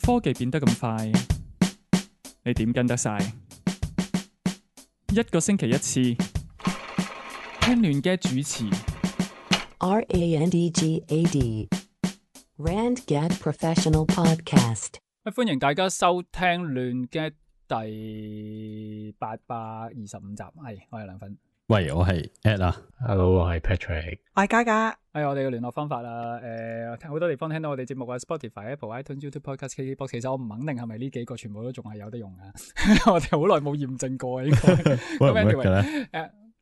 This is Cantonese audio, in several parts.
科技變得咁快，你點跟得晒？一個星期一次，聽亂嘅主持。RANDGAD RandGad Professional Podcast。歡迎大家收聽亂嘅第825集。係，我係梁粉。喂，我係 Ed 啊 ，Hello， 我係 Patrick， 我係嘉嘉。係我哋嘅聯絡方法啦。好多地方聽到我哋節目啊 ，Spotify、Apple、iTunes、YouTube Podcast、KKBox。其實我唔肯定係咪呢幾個全部都仲係有得用㗎。我哋好耐冇驗證過應該。work 唔 work 嘅咧？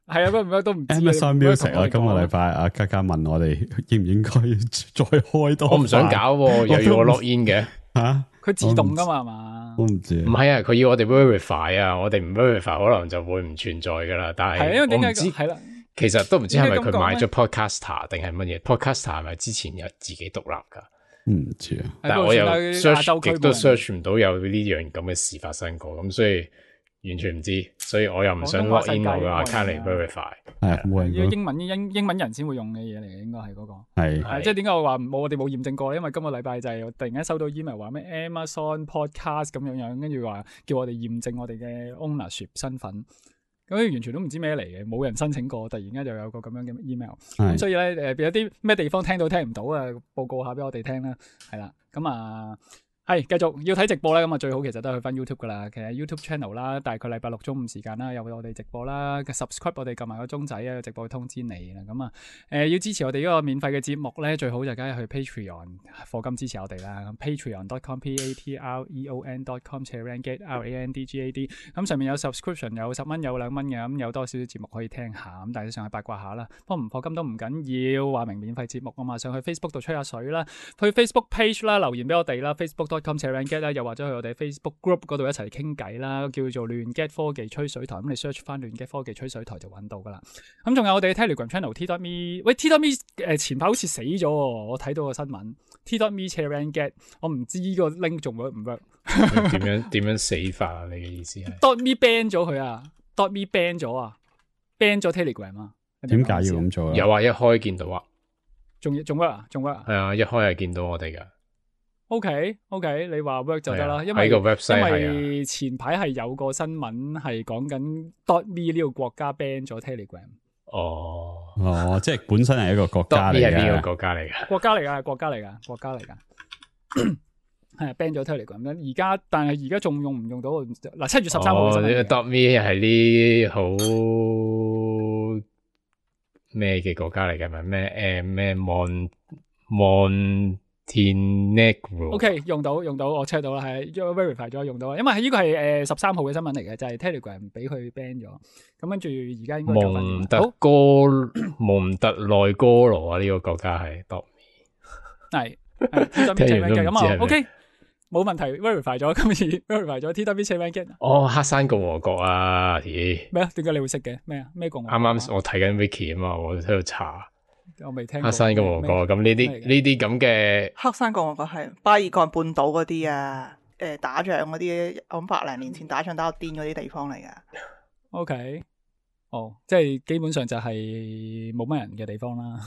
係啊，唔work都唔知。Amazon Music 啊，今個禮拜阿嘉嘉問我哋應唔應該再開多？我唔想搞，又要我 login 嘅吓？佢自動噶嘛係嘛？我唔知。唔係啊，佢要我哋 verify 啊，我哋唔 verify 可能就會唔存在噶啦。但係因為點解我唔知係啦？其實都唔知係咪佢買咗 Podcaster 定係乜嘢 ？Podcaster 係咪之前有自己獨立噶？唔知啊。但係我又 search 極都 search 唔到有呢樣咁嘅事發生過，咁所以完全唔知，所以我又唔想 log in 我嘅 account 嚟 verify。係冇人英文人先會用嘅嘢嚟嘅，應該係嗰個。係即係點解我話我哋冇驗證過咧？因為今個禮拜就係突然間收到 email 話咩 Amazon Podcast 咁樣，跟住話叫我哋驗證我哋嘅 ownership 身份。咁完全都唔知咩嚟嘅，冇人申請過，突然間就有個咁樣嘅 email。咁所以咧有啲咩地方聽到聽唔到啊？報告下俾我哋聽啦。係啦，咁啊。係繼續要睇直播咧，咁啊最好其實都係去翻 YouTube 噶啦。其實 YouTube channel 啦，大概禮拜六中午時間啦，有我哋直播啦。subscribe 我哋撳埋個鐘仔啊，直播會通知你啦。咁啊，要支持我哋呢個免費嘅節目咧，最好就梗係去 Patreon 課金支持我哋啦。Patreon.com patreon.com/randgad RANDGAD。咁上面有 subscription， 有10蚊，有2蚊嘅，咁有多少少節目可以聽下。咁大家上去八卦下啦。不過唔課金都唔緊要，話明免費節目啊嘛。上去 Facebook 度吹下水啦，去 Facebook page 啦，留言俾我哋啦 ，Facebook.com/randgad 啦，又或者去我哋 Facebook group 嗰度一齊傾偈啦，叫做亂 get 科技吹水台。咁你 search 翻亂 get 科技吹水台就揾到噶啦。咁仲有我哋 Telegram channel T.me， 喂 T.me 前排好似死咗，我睇到個新聞 T.me/randgad， 我唔知呢個 link 仲 work 唔 work？ 點樣死法啊？你嘅意思係 ？.me ban 咗佢啊 ！.me ban 咗啊 ！ban 咗 Telegram 啊！點解要咁做啊？有話一開見到啊，仲 work 啊？仲 work 啊？係啊，一開係見到我哋噶。OK， 你話 work 就得啦，因為個 website 因為前排係有個新聞係講緊 .me 呢個國家 ban 咗 Telegram。哦，即係本身係一個國家嚟嘅。係邊個國家嚟嘅？國家嚟噶，係 ban 咗 Telegram。而家但係而家仲用唔用到？嗱，7月13號嘅新聞。.me 係啲好咩嘅國家嚟嘅？咪咩Montenegro OK， 用到，我 check 到啦，係 verify 咗用到，因為呢個係13號嘅新聞嚟嘅，就係 Telegram 俾佢 ban 咗，咁跟住而家應該蒙特內哥羅啊，呢個國家係 .me 係 T.me/randgad 咁啊 OK， 冇問題 verify 咗，今次 verify 咗 T.me/randgad。哦，黑山共和國啊，咩啊？點解你會識嘅？咩啊？咩共和國？啱我睇緊 Wiki 啊嘛，我喺度查。我未聽過黑山共和國，咁呢啲咁嘅黑山共和國係巴爾幹半島嗰啲啊，打仗嗰啲，我諗100年前打仗打到癲嗰啲地方嚟噶。OK，即係基本上就係冇乜人嘅地方啦。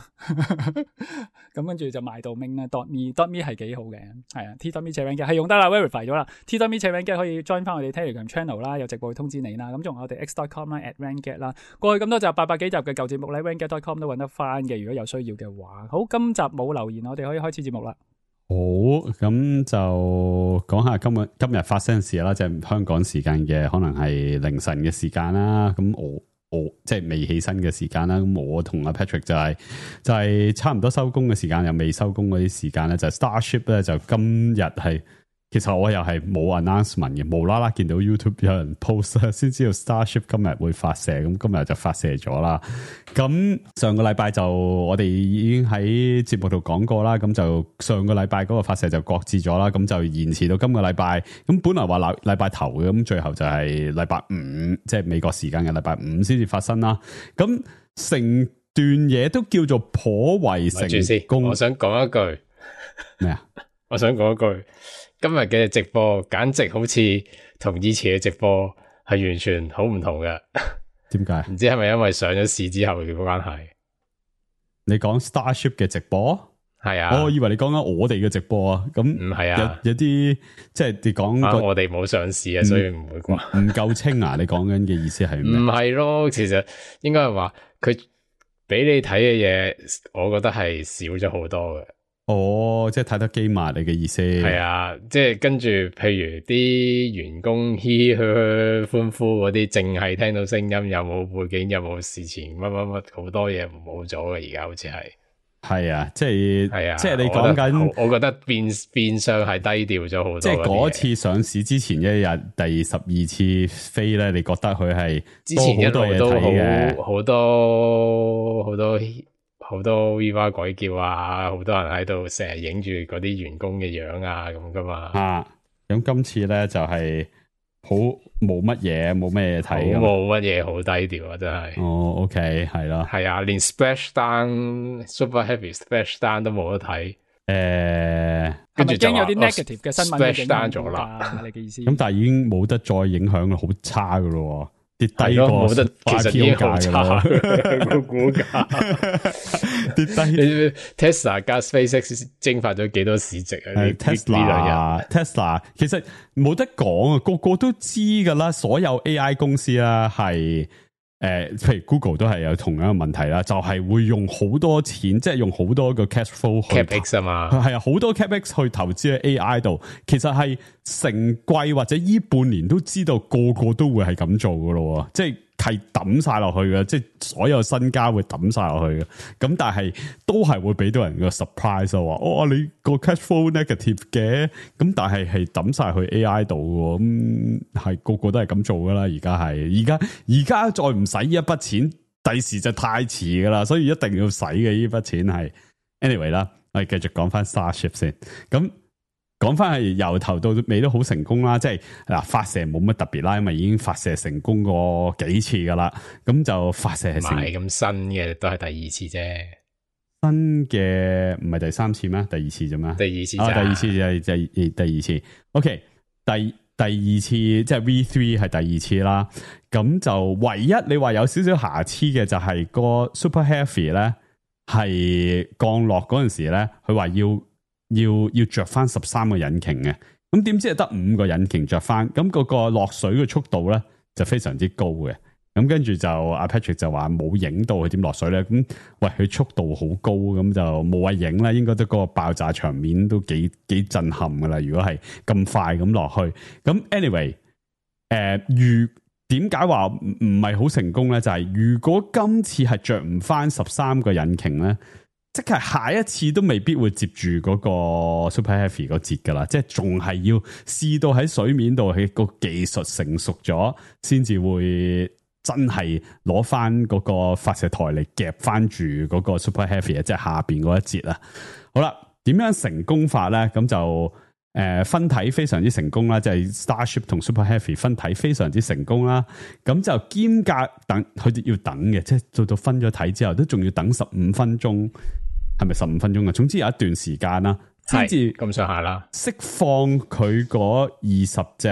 咁跟住就賣到明啦。.me 係幾好嘅，係啊。T.me/randgad 係用得啦 ，verify 咗啦。T.me/randgad 可以 join 翻我哋 Telegram channel 啦，有直播會通知你啦。咁仲有我哋 x.com 啦 @randgad 啦。過去咁多集800幾集嘅舊節目咧 ，randgad.com 都揾得翻嘅。如果有需要嘅話，好，今集冇留言，我哋可以開始節目啦。好，咁就講下今日發生事啦，即係香港時間嘅可能係凌晨嘅時間啦。咁我即係未起身嘅時間啦，咁我同阿 Patrick 就係差唔多收工嘅時間，又未收工嗰啲時間咧，就 Starship 咧就今日係，其實我又係冇 announcement 嘅，無啦啦見到 YouTube 有人 post 先知道 Starship 今日會發射，咁今日就發射咗啦。咁上個禮拜就我哋已經喺節目度講過啦，咁就上個禮拜嗰個發射就擱置咗啦，咁就延遲到今個禮拜。咁本來話禮拜頭嘅，咁最後就係禮拜5，即係美國時間嘅禮拜5先至發生啦。咁成段嘢都叫做頗為成功。我想講一句咩啊？我想講一句，今日嘅直播簡直好似同以前嘅直播係完全好唔同嘅。點解？唔知係咪因為上咗市之後嘅關係？你講 Starship 嘅直播？係啊，我以為你講緊我哋嘅直播啊，咁唔係啊，有啲即係你講我哋冇上市啊，所以唔會啩，唔夠清啊？你講緊嘅意思係咩？唔係咯，其實應該係話佢俾你睇嘅嘢，我覺得係少咗好多嘅。哦，即係太多機密你嘅意思？係啊，即係跟住，譬如啲員工嘻嘻歡呼嗰啲，淨係聽到聲音，有冇背景，有冇事前乜乜乜，好多嘢冇咗嘅。而家好似係啊，即係係啊，即係你講緊，我覺得變相係低調咗好多。即係嗰次上市之前一日第12次飛咧，你覺得佢係之前一路都好多 Viva 鬼叫啊，好多人喺度成日影住嗰啲員工嘅樣啊咁噶嘛。咁今次咧就係好冇乜嘢睇，冇乜嘢，好低調啊，真係。哦 ，OK， 係咯，係啊，連 Splashdown Super Heavy Splashdown 都冇得睇。跟住驚有啲 negative 嘅新聞 Splashdown 咗啦。你嘅意思？咁但係已經冇得再影響好差噶咯。跌低過冇得，其實已經好差個股價跌低。Tesla 加 SpaceX 蒸發咗幾多市值啊？Tesla 其實冇得講啊，個個都知噶啦。所有 AI 公司啦，係譬如 Google 都係有同樣嘅問題啦，就係會用好多錢，即係用好多個 cash flow CapEx 啊嘛，係啊，好多 CapEx 去投資喺 AI 度，其實係成季或者依半年都知道個個都會係咁做噶咯，即係抌晒落去嘅，即係所有身家會抌晒落去嘅。咁但係都係會俾到人個 surprise 話，你個 cash flow negative 嘅，咁但係抌晒去 AI 度，咁係個個都係咁做噶啦。而家再唔使呢一筆錢，第時就太遲噶啦，所以一定要使嘅呢筆錢係 anyway 啦。我哋繼續講翻 Starship 先，咁。講翻係由頭到尾都好成功啦，即係嗱發射冇乜特別啦，因為已經發射成功過幾次噶啦，咁就發射係成咁新嘅都係第二次啫，新嘅唔係第三次咩？第二次啫咩？第二次第二次就係第二次。OK， 第二次即係 V3 係第二次啦，咁就唯一你話有少少瑕疵嘅就係個 Super Heavy 咧，係降落嗰陣時咧，佢話要着翻13個引擎嘅，咁點知係得5個引擎着翻，咁嗰個落水嘅速度咧就非常之高嘅，咁跟住就阿 Patrick 就話冇影到佢點落水咧，咁喂佢速度好高，咁就冇謂影啦，應該都嗰個爆炸場面都幾震撼噶啦，如果係咁快咁落去，咁 anyway， 點解話唔係好成功咧？就係如果今次係着唔翻13個引擎咧。即係下一次都未必會接住嗰個 Super Heavy 嗰節噶啦，即係仲係要試到喺水面度，喺個技術成熟咗，先至會真係攞翻嗰個發射台嚟夾翻住嗰個 Super Heavy， 即係下邊嗰一節啦。好啦，點樣成功法咧？咁就分體非常之成功啦，即係 Starship 同 Super Heavy 分體非常之成功啦。咁就兼隔等佢哋要等嘅，即係做到分咗體之後，都仲要等15分鐘。係咪15分鐘啊？總之有一段時間啦，先至咁上下啦，釋放佢嗰20隻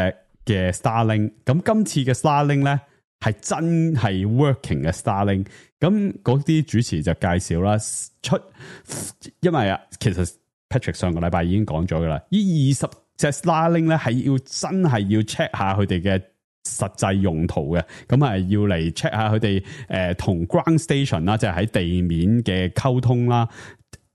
嘅 Starlink。咁今次嘅 Starlink 咧係真係 working 嘅 Starlink。咁嗰啲主持就介紹啦，因為啊，其實 Patrick 上個禮拜已經講咗噶啦，呢20隻 Starlink 咧係要真係要 check 下佢哋嘅實際用途嘅，咁係要嚟 check 下佢哋同 ground station 啦，即係喺地面嘅溝通啦。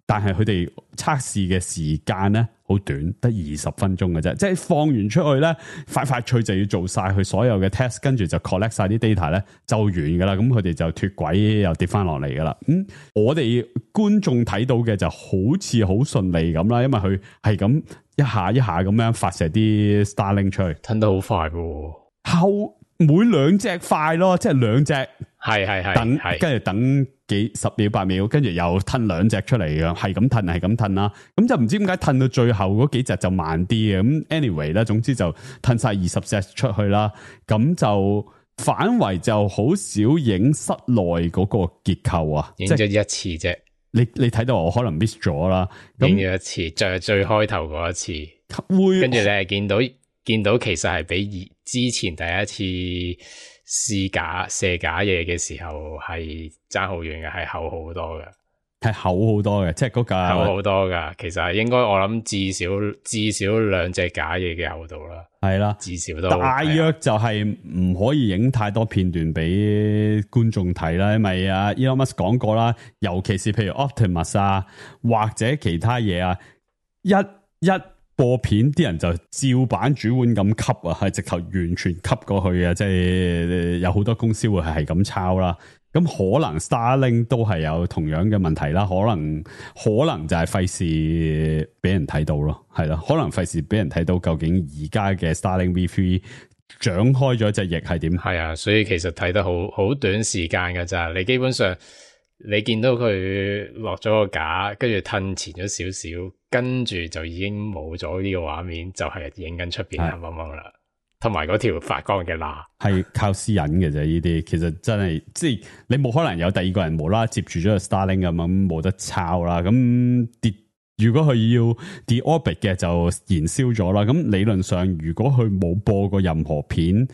但係佢哋測試嘅時間咧好短，得20分鐘嘅啫。即係放完出去咧，快脆就要做晒佢所有嘅 test， 跟住就 collect 晒啲 data 咧就完噶啦。咁佢哋就脫軌又跌翻落嚟噶啦。我哋觀眾睇到嘅就好似好順利咁啦，因為佢係咁一下一下咁樣發射啲 Starlink 出去，吞得好快喎。後每2隻快咯，即係2隻係等，跟住等10秒8秒，跟住又吞2隻出嚟嘅，係咁吞啦。咁就唔知點解吞到最後嗰幾隻就慢啲嘅。咁 anyway 啦，總之就吞晒20隻出去啦。咁就反為就好少影室內嗰個結構啊，影咗一次啫。你睇到我可能 miss 咗啦，影咗一次，就係最開頭嗰一次，跟住你係見到其實係比之前第一次射假嘢嘅時候係爭好遠嘅，係厚好多嘅。係厚好多嘅，即係嗰架厚好多噶。其實係應該我諗至少兩隻假嘢嘅厚度啦。係啦，至少都大約就係唔可以影太多片段俾觀眾睇啦，因為啊 Elon Musk 講過啦，尤其是譬如 Optimus 啊或者其他嘢啊，一播片啲人就照板煮碗咁吸啊，係直頭完全吸過去啊，即係有好多公司會係咁抄啦。咁可能 Starlink 都係有同樣嘅問題啦，可能就係費事俾人睇到咯，係咯，可能費事俾人睇到究竟而家嘅 Starlink V3 長開咗隻翼係點？係啊，所以其實睇得好短時間噶咋，你基本上你見到佢落咗個架，跟住褪前咗少少，跟住就已經冇咗呢個畫面，就係影緊出邊黑掹掹啦。同埋嗰條發光嘅罅係靠私隱嘅啫，呢啲其實真係即係你冇可能有第二個人無啦啦接住咗個 Starlink 咁冇得抄啦。咁如果佢要 de-orbit 嘅就燃燒咗啦。咁理論上如果佢冇播過任何片，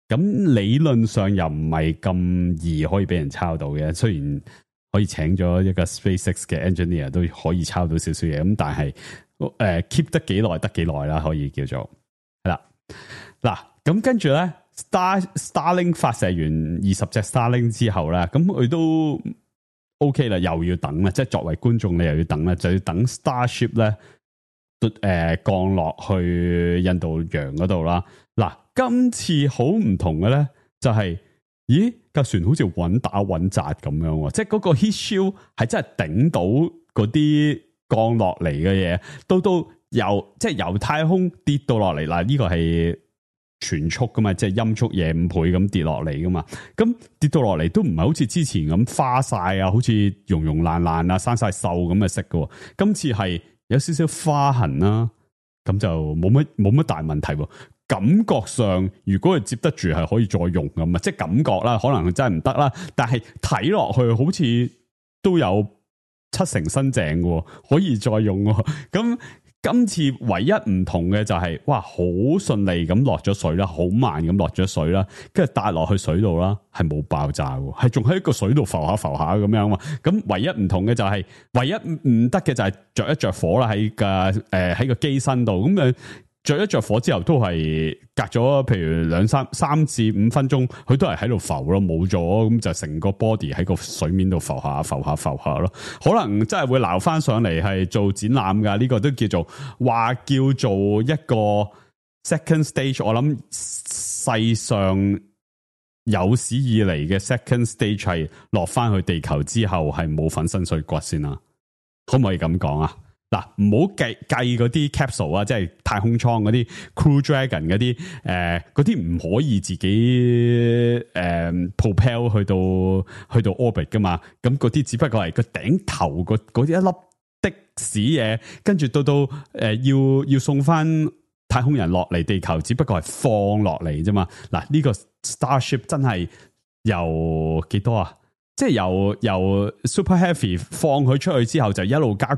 咁理論上又唔係咁易可以俾人抄到嘅。雖然可以請咗一個 SpaceX 嘅 engineer 都可以抄到少少嘢，咁但係keep 得幾耐得幾耐啦，可以叫做係啦。嗱，咁跟住咧 Starlink 發射完20隻 Starlink 之後咧，咁佢都 OK 啦，又要等啦，即係作為觀眾你又要等啦，就要等 Starship 咧降落去印度洋嗰度啦。嗱，今次好唔同嘅咧，就係咦架船好似穩打穩紮咁樣，即係嗰個 heat shield 係真係頂到嗰啲降落嚟嘅嘢，即係由太空跌到落嚟。嗱，呢個係全速噶嘛，即係音速嘢5倍咁跌落嚟噶嘛，咁跌到落嚟都唔係好似之前咁花晒啊，好似溶溶爛爛啊，生晒鏽咁嘅色噶，今次係有少少花痕啦，咁就冇乜大問題。感覺上如果佢接得住係可以再用咁啊，即係感覺啦，可能佢真係唔得啦，但係睇落去好似都有70%新淨嘅，可以再用。咁今次唯一唔同嘅就係，哇，好順利咁落咗水啦，好慢咁落咗水啦，跟住搭落去水度啦，係冇爆炸嘅，係仲喺個水度浮下咁樣嘛。咁唯一唔同嘅就係，唯一唔得嘅就係着一着火啦，喺個機身度咁樣。着一着火之後都係隔咗譬如3至5分鐘，佢都係喺度浮咯，冇咗咁就成個 body 喺個水面度浮下咯。可能真係會撈翻上嚟係做展覽噶，呢個都叫做一個 second stage。我諗世上有史以嚟嘅 second stage 係落翻去地球之後係冇粉身碎骨先啦，可唔可以咁講啊？嗱，唔好計嗰啲 capsule 啊，即係太空艙嗰啲 Crew Dragon 嗰啲，嗰啲唔可以自己propel 去到 orbit 噶嘛。咁嗰啲只不過係個頂頭嗰一粒的屎嘢，跟住到要送翻太空人落嚟地球，只不過係放落嚟啫嘛。嗱，呢個 Starship 真係由幾多啊？即係由 Super Heavy 放佢出去之後，就一路加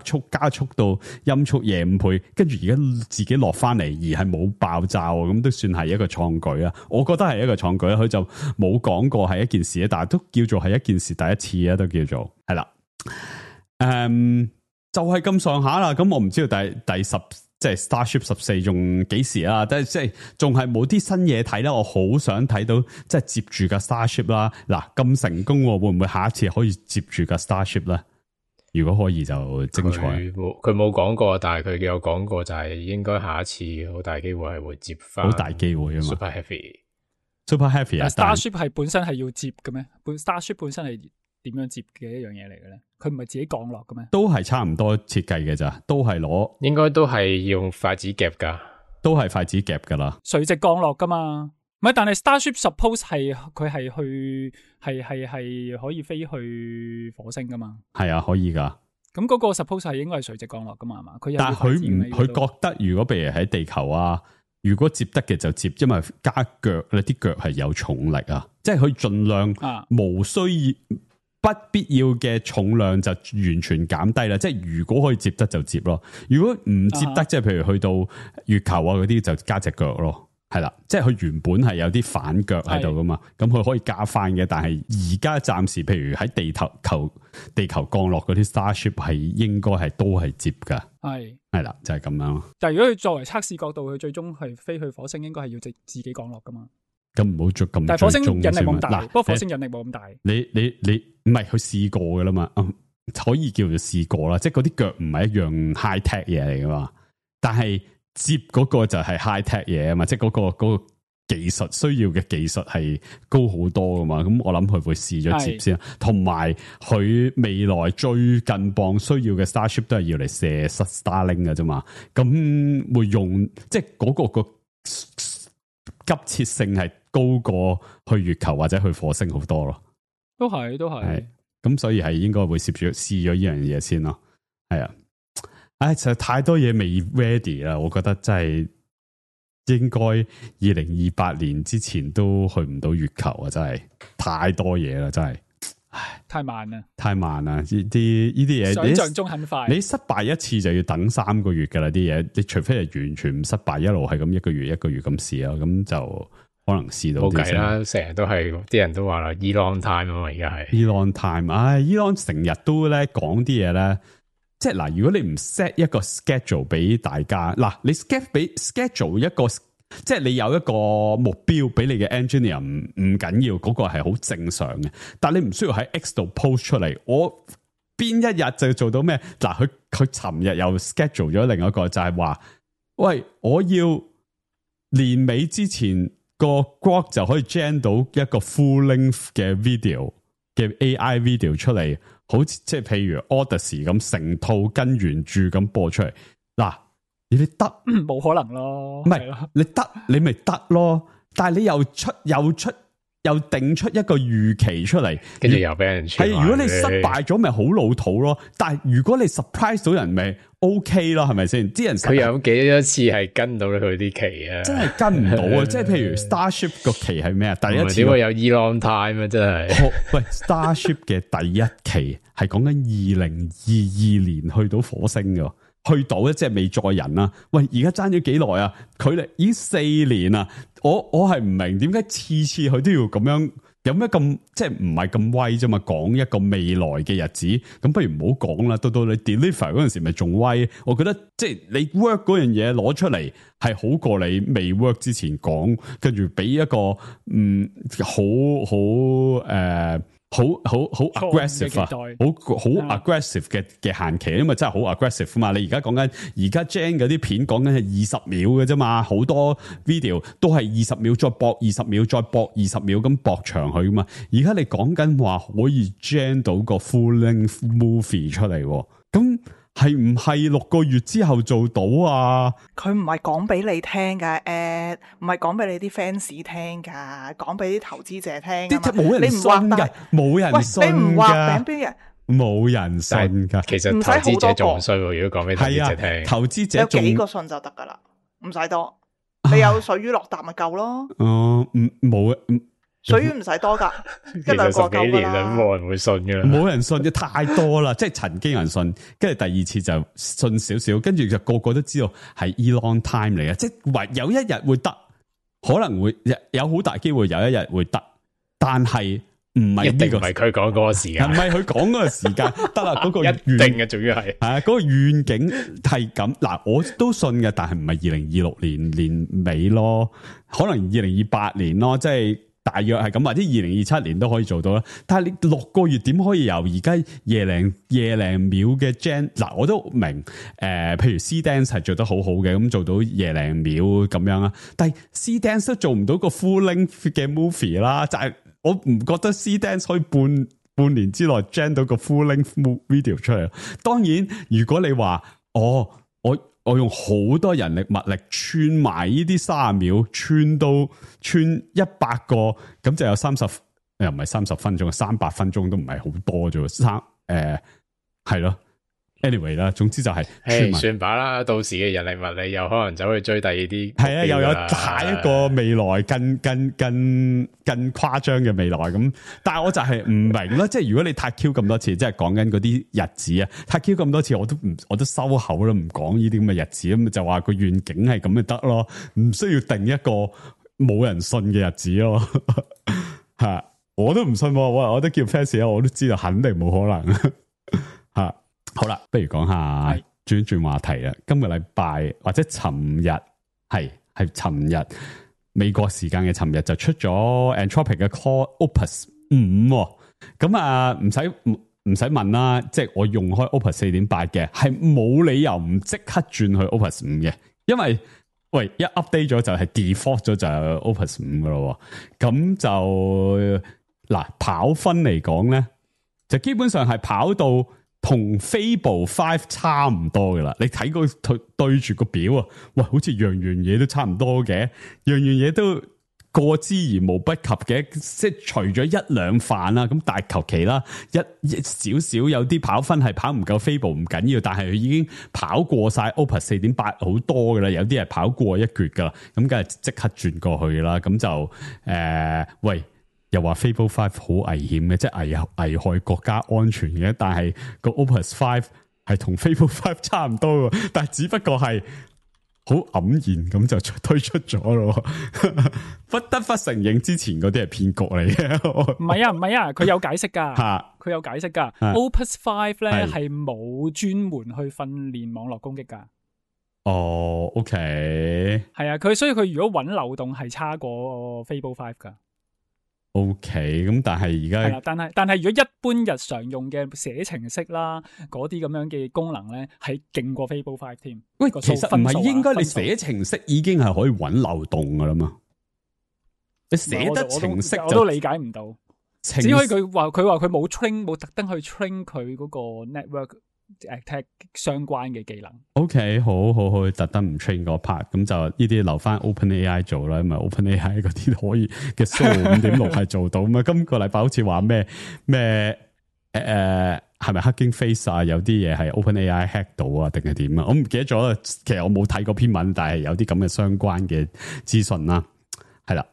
速到音速夜5倍，跟住而家自己落翻嚟，而係冇爆炸，咁都算係一個創舉啊！我覺得係一個創舉啦，佢就冇講過係一件事，但係都叫做係一件事，第一次啊，都叫做係啦。就係咁上下啦。咁我唔知道第10即係 Starship 14仲幾時啊？但係即係仲係冇啲新嘢睇啦。我好想睇到即係接住架 Starship 啦。嗱，咁成功，會唔會下一次可以接住架 Starship 咧？如果可以就精彩。佢冇講過，但係佢有講過就係應該下一次好大機會係會接翻。好大機會啊嘛。Super Heavy 啊 ！Starship 係本身係要接嘅咩？Starship 本身係點樣接嘅一樣嘢嚟嘅咧？佢唔係自己降落嘅咩？都係差唔多設計嘅咋，都係攞，應該都係用筷子夾噶，都係筷子夾噶啦，垂直降落噶嘛？唔係，但係 Starship suppose 係佢係去係可以飛去火星噶嘛？係啊，可以噶。咁嗰個 suppose 係應該係垂直降落噶嘛？係嘛？但係佢覺得如果譬如喺地球啊，如果接得嘅就接，因為加腳咧，啲腳係有重力啊，即係佢盡量無需要。不必要嘅重量就完全減低啦，即係如果可以接得就接咯，如果唔接得，即係譬如去到月球啊嗰啲就加隻腳咯，係啦，即係佢原本係有啲反腳喺度噶嘛，咁佢可以加翻嘅，但係而家暫時，譬如喺地球降落嗰啲 Starship 係應該係都係接噶，係啦，就係咁樣咯。但係如果佢作為測試角度，佢最終係飛去火星，應該係要自己降落噶嘛。咁唔好做咁，但係火星引力冇咁大，嗱，不過火星引力冇咁大。你唔係佢試過噶啦嘛，可以叫做試過啦，即係嗰啲腳唔係一樣 high tech 嘢嚟噶嘛，但係接嗰個就係 high tech 嘢啊嘛，即係嗰個技術需要嘅技術係高好多噶嘛，咁我諗佢會試咗接先，同埋佢未來最近磅需要嘅 Starship 都係要嚟射 Starlink 嘅啫嘛，咁會用即係嗰個急切性係高過去月球或者去火星好多咯，都係，咁所以係應該會試咗呢樣嘢先咯，係啊，實在太多嘢未 ready 啦，我覺得真係應該2028年之前都去唔到月球啊，真係太多嘢啦，真係，唉，太慢啦，呢啲嘢想象中很快，你失敗一次就要等3個月噶啦，啲嘢，你除非係完全唔失敗，一路係咁一個月咁試啊，咁就可能試到冇計啦，成日都係啲人都話啦 ，Elon time 啊嘛，而家係 Elon time， Elon 成日都咧講啲嘢咧，即係嗱，如果你唔 set 一個 schedule 俾大家，嗱，你 schedule 一個，即係你有一個目標俾你嘅 engineer 唔緊要，嗰個係好正常嘅，但係你唔需要喺 X 度 post 出嚟，我邊一日就做到咩？嗱，佢尋日又 schedule 咗另一個，就係話，喂，我要年尾之前個 Grok 就可以 gen 到一個 full length 嘅 video 嘅 AI video 出嚟，好似即係譬如 Odyssey 咁成套跟原著咁播出嚟。嗱，你得冇可能咯，唔係你得你咪得咯，但係你又定出一個預期出嚟，跟住又俾人傳。係如果你失敗咗，咪好老土咯。但係如果你 surprise 到人，咪 OK 咯，係咪先？啲人佢有幾多次係跟到佢啲期啊？真係跟唔到啊！即係譬如 Starship 個期係咩啊？第一次點會有 Elon time 啊？真係喂 Starship 嘅第一期係講緊2022年去到火星噶。去到咧，即係未載人啦。喂，而家爭咗幾耐啊？距離已經4年啦。我係唔明點解次次佢都要咁樣，有咩咁即係唔係咁威啫嘛？講一個未來嘅日子，咁不如唔好講啦。到你 deliver 嗰陣時，咪仲威。我覺得即係你 work 嗰樣嘢攞出嚟，係好過你未 work 之前講，跟住俾一個好 aggressive 啊，好 aggressive 嘅限期，因為真係好 aggressive 嘛。你而家講緊而家 Gen 嗰啲片講緊係20秒嘅啫嘛，好多 video 都係20秒再搏20秒再搏20秒咁搏長佢噶嘛。而家你講緊話可以 Gen 到個 full length movie 出嚟，咁係唔係6個月之後做到啊？佢唔係講俾你聽噶，唔係講俾你啲 fans 聽噶，講俾啲投資者聽。冇人信噶，冇人信噶。你唔畫餅邊人？冇人信噶。其實投資者仲衰喎，如果講俾投資者聽，投資者有幾個信就得噶啦，唔使多。你有水魚落答咪夠咯。冇水魚唔使多噶，其實10幾年啦，冇人會信噶啦，冇人信嘅太多啦，即係曾經有人信，跟住第二次就信少少，跟住就個個都知道係 Elon time 嚟嘅，即係有一日會得，可能會有好大機會有一日會得，但係唔係呢個，唔係佢講嗰個時間，唔係佢講嗰個時間得啦，嗰個一定嘅，仲要係嗰個願景係咁嗱，我都信嘅，但係唔係2026年尾咯，可能2028年咯，即係。大約係咁，或者2027年都可以做到啦。但係你6個月點可以由而家夜零秒嘅 Gen 嗱，我都明譬如 C-Dance 係做得好好嘅，咁做到夜零秒咁樣啦。但係 C-Dance 都做唔到個 full length 嘅 movie 啦，就係我唔覺得 C-Dance 可以半年之內 Gen 到個 full length video 出嚟。當然，如果你話我用好多人力物力串埋呢啲30秒，串100個，咁就有30，又唔係30分鐘，300分鐘都唔係好多啫。係咯， anyway 啦，總之就係傳聞算把啦，到時嘅人力物力又可能走去追第二啲，係啊，又有下一個未來更誇張嘅未來咁。但係我就係唔明啦，即係如果你太 Q 咁多次，即係講緊嗰啲日子啊，太 Q 咁多次，我都收口啦，唔講呢啲咁嘅日子，咁就話個願景係咁就得咯，唔需要定一個冇人信嘅日子咯。吓，我都唔信，我都叫 fans 啊，我都知道肯定冇可能。吓，好啦，不如講下轉話題啦。今個禮拜或者尋日係尋日美國時間嘅尋日就出咗 Anthropic 嘅 Claude Opus 5，咁啊唔使問啦，即係我用開 Opus 4.8嘅，係冇理由唔即刻轉去 Opus 5嘅，因為喂一 update 咗就係 default 咗就係 Opus 5噶咯，咁就嗱跑分嚟講咧，就基本上係跑到同 Fable 5差唔多噶啦，你睇個對住個表啊，喂，好似樣嘢都差唔多嘅，樣嘢都過之而無不及嘅，即係除咗一兩範啦，咁但係求其啦，一少少有啲跑分係跑唔夠 Fable 唔緊要，但係佢已經跑過晒 Opus 4.8好多噶啦，有啲係跑過一橛噶啦，咁梗係即刻轉過去啦，咁就喂。又話 Fable 5好危險嘅，即係危害國家安全嘅，但係個 Opus 5係同 Fable 5差唔多嘅，但係只不過係好黯然咁就推出咗咯，不得不承認之前嗰啲係騙局嚟嘅。唔係啊，佢有解釋噶，佢有解釋噶。Opus 5咧係冇專門去訓練網絡攻擊噶。哦 ，OK， 係啊，所以佢如果揾漏洞係差過 Fable 5噶。OK， 咁但係而家係啦，但係如果一般日常用嘅寫程式啦，嗰啲咁樣嘅功能咧，係勁過 Fable 5添。喂，其實唔係應該你寫程式已經係可以揾漏洞噶啦嘛？你寫得程式我都理解唔到，只可以佢話佢冇特登去 train 佢嗰個 network attack 相關嘅技能。OK， 好，特登唔 train 嗰 part， 咁就呢啲留翻 OpenAI 做啦，因為 OpenAI 嗰啲可以嘅 Solo 5.6係做到嘛。今個禮拜好似話咩係咪 Hugging Face 啊？有啲嘢係 OpenAI hack 到啊，定係點啊？我唔記得咗啦。其實我冇睇過篇文，但係有啲咁嘅相關嘅資訊啦。係啦。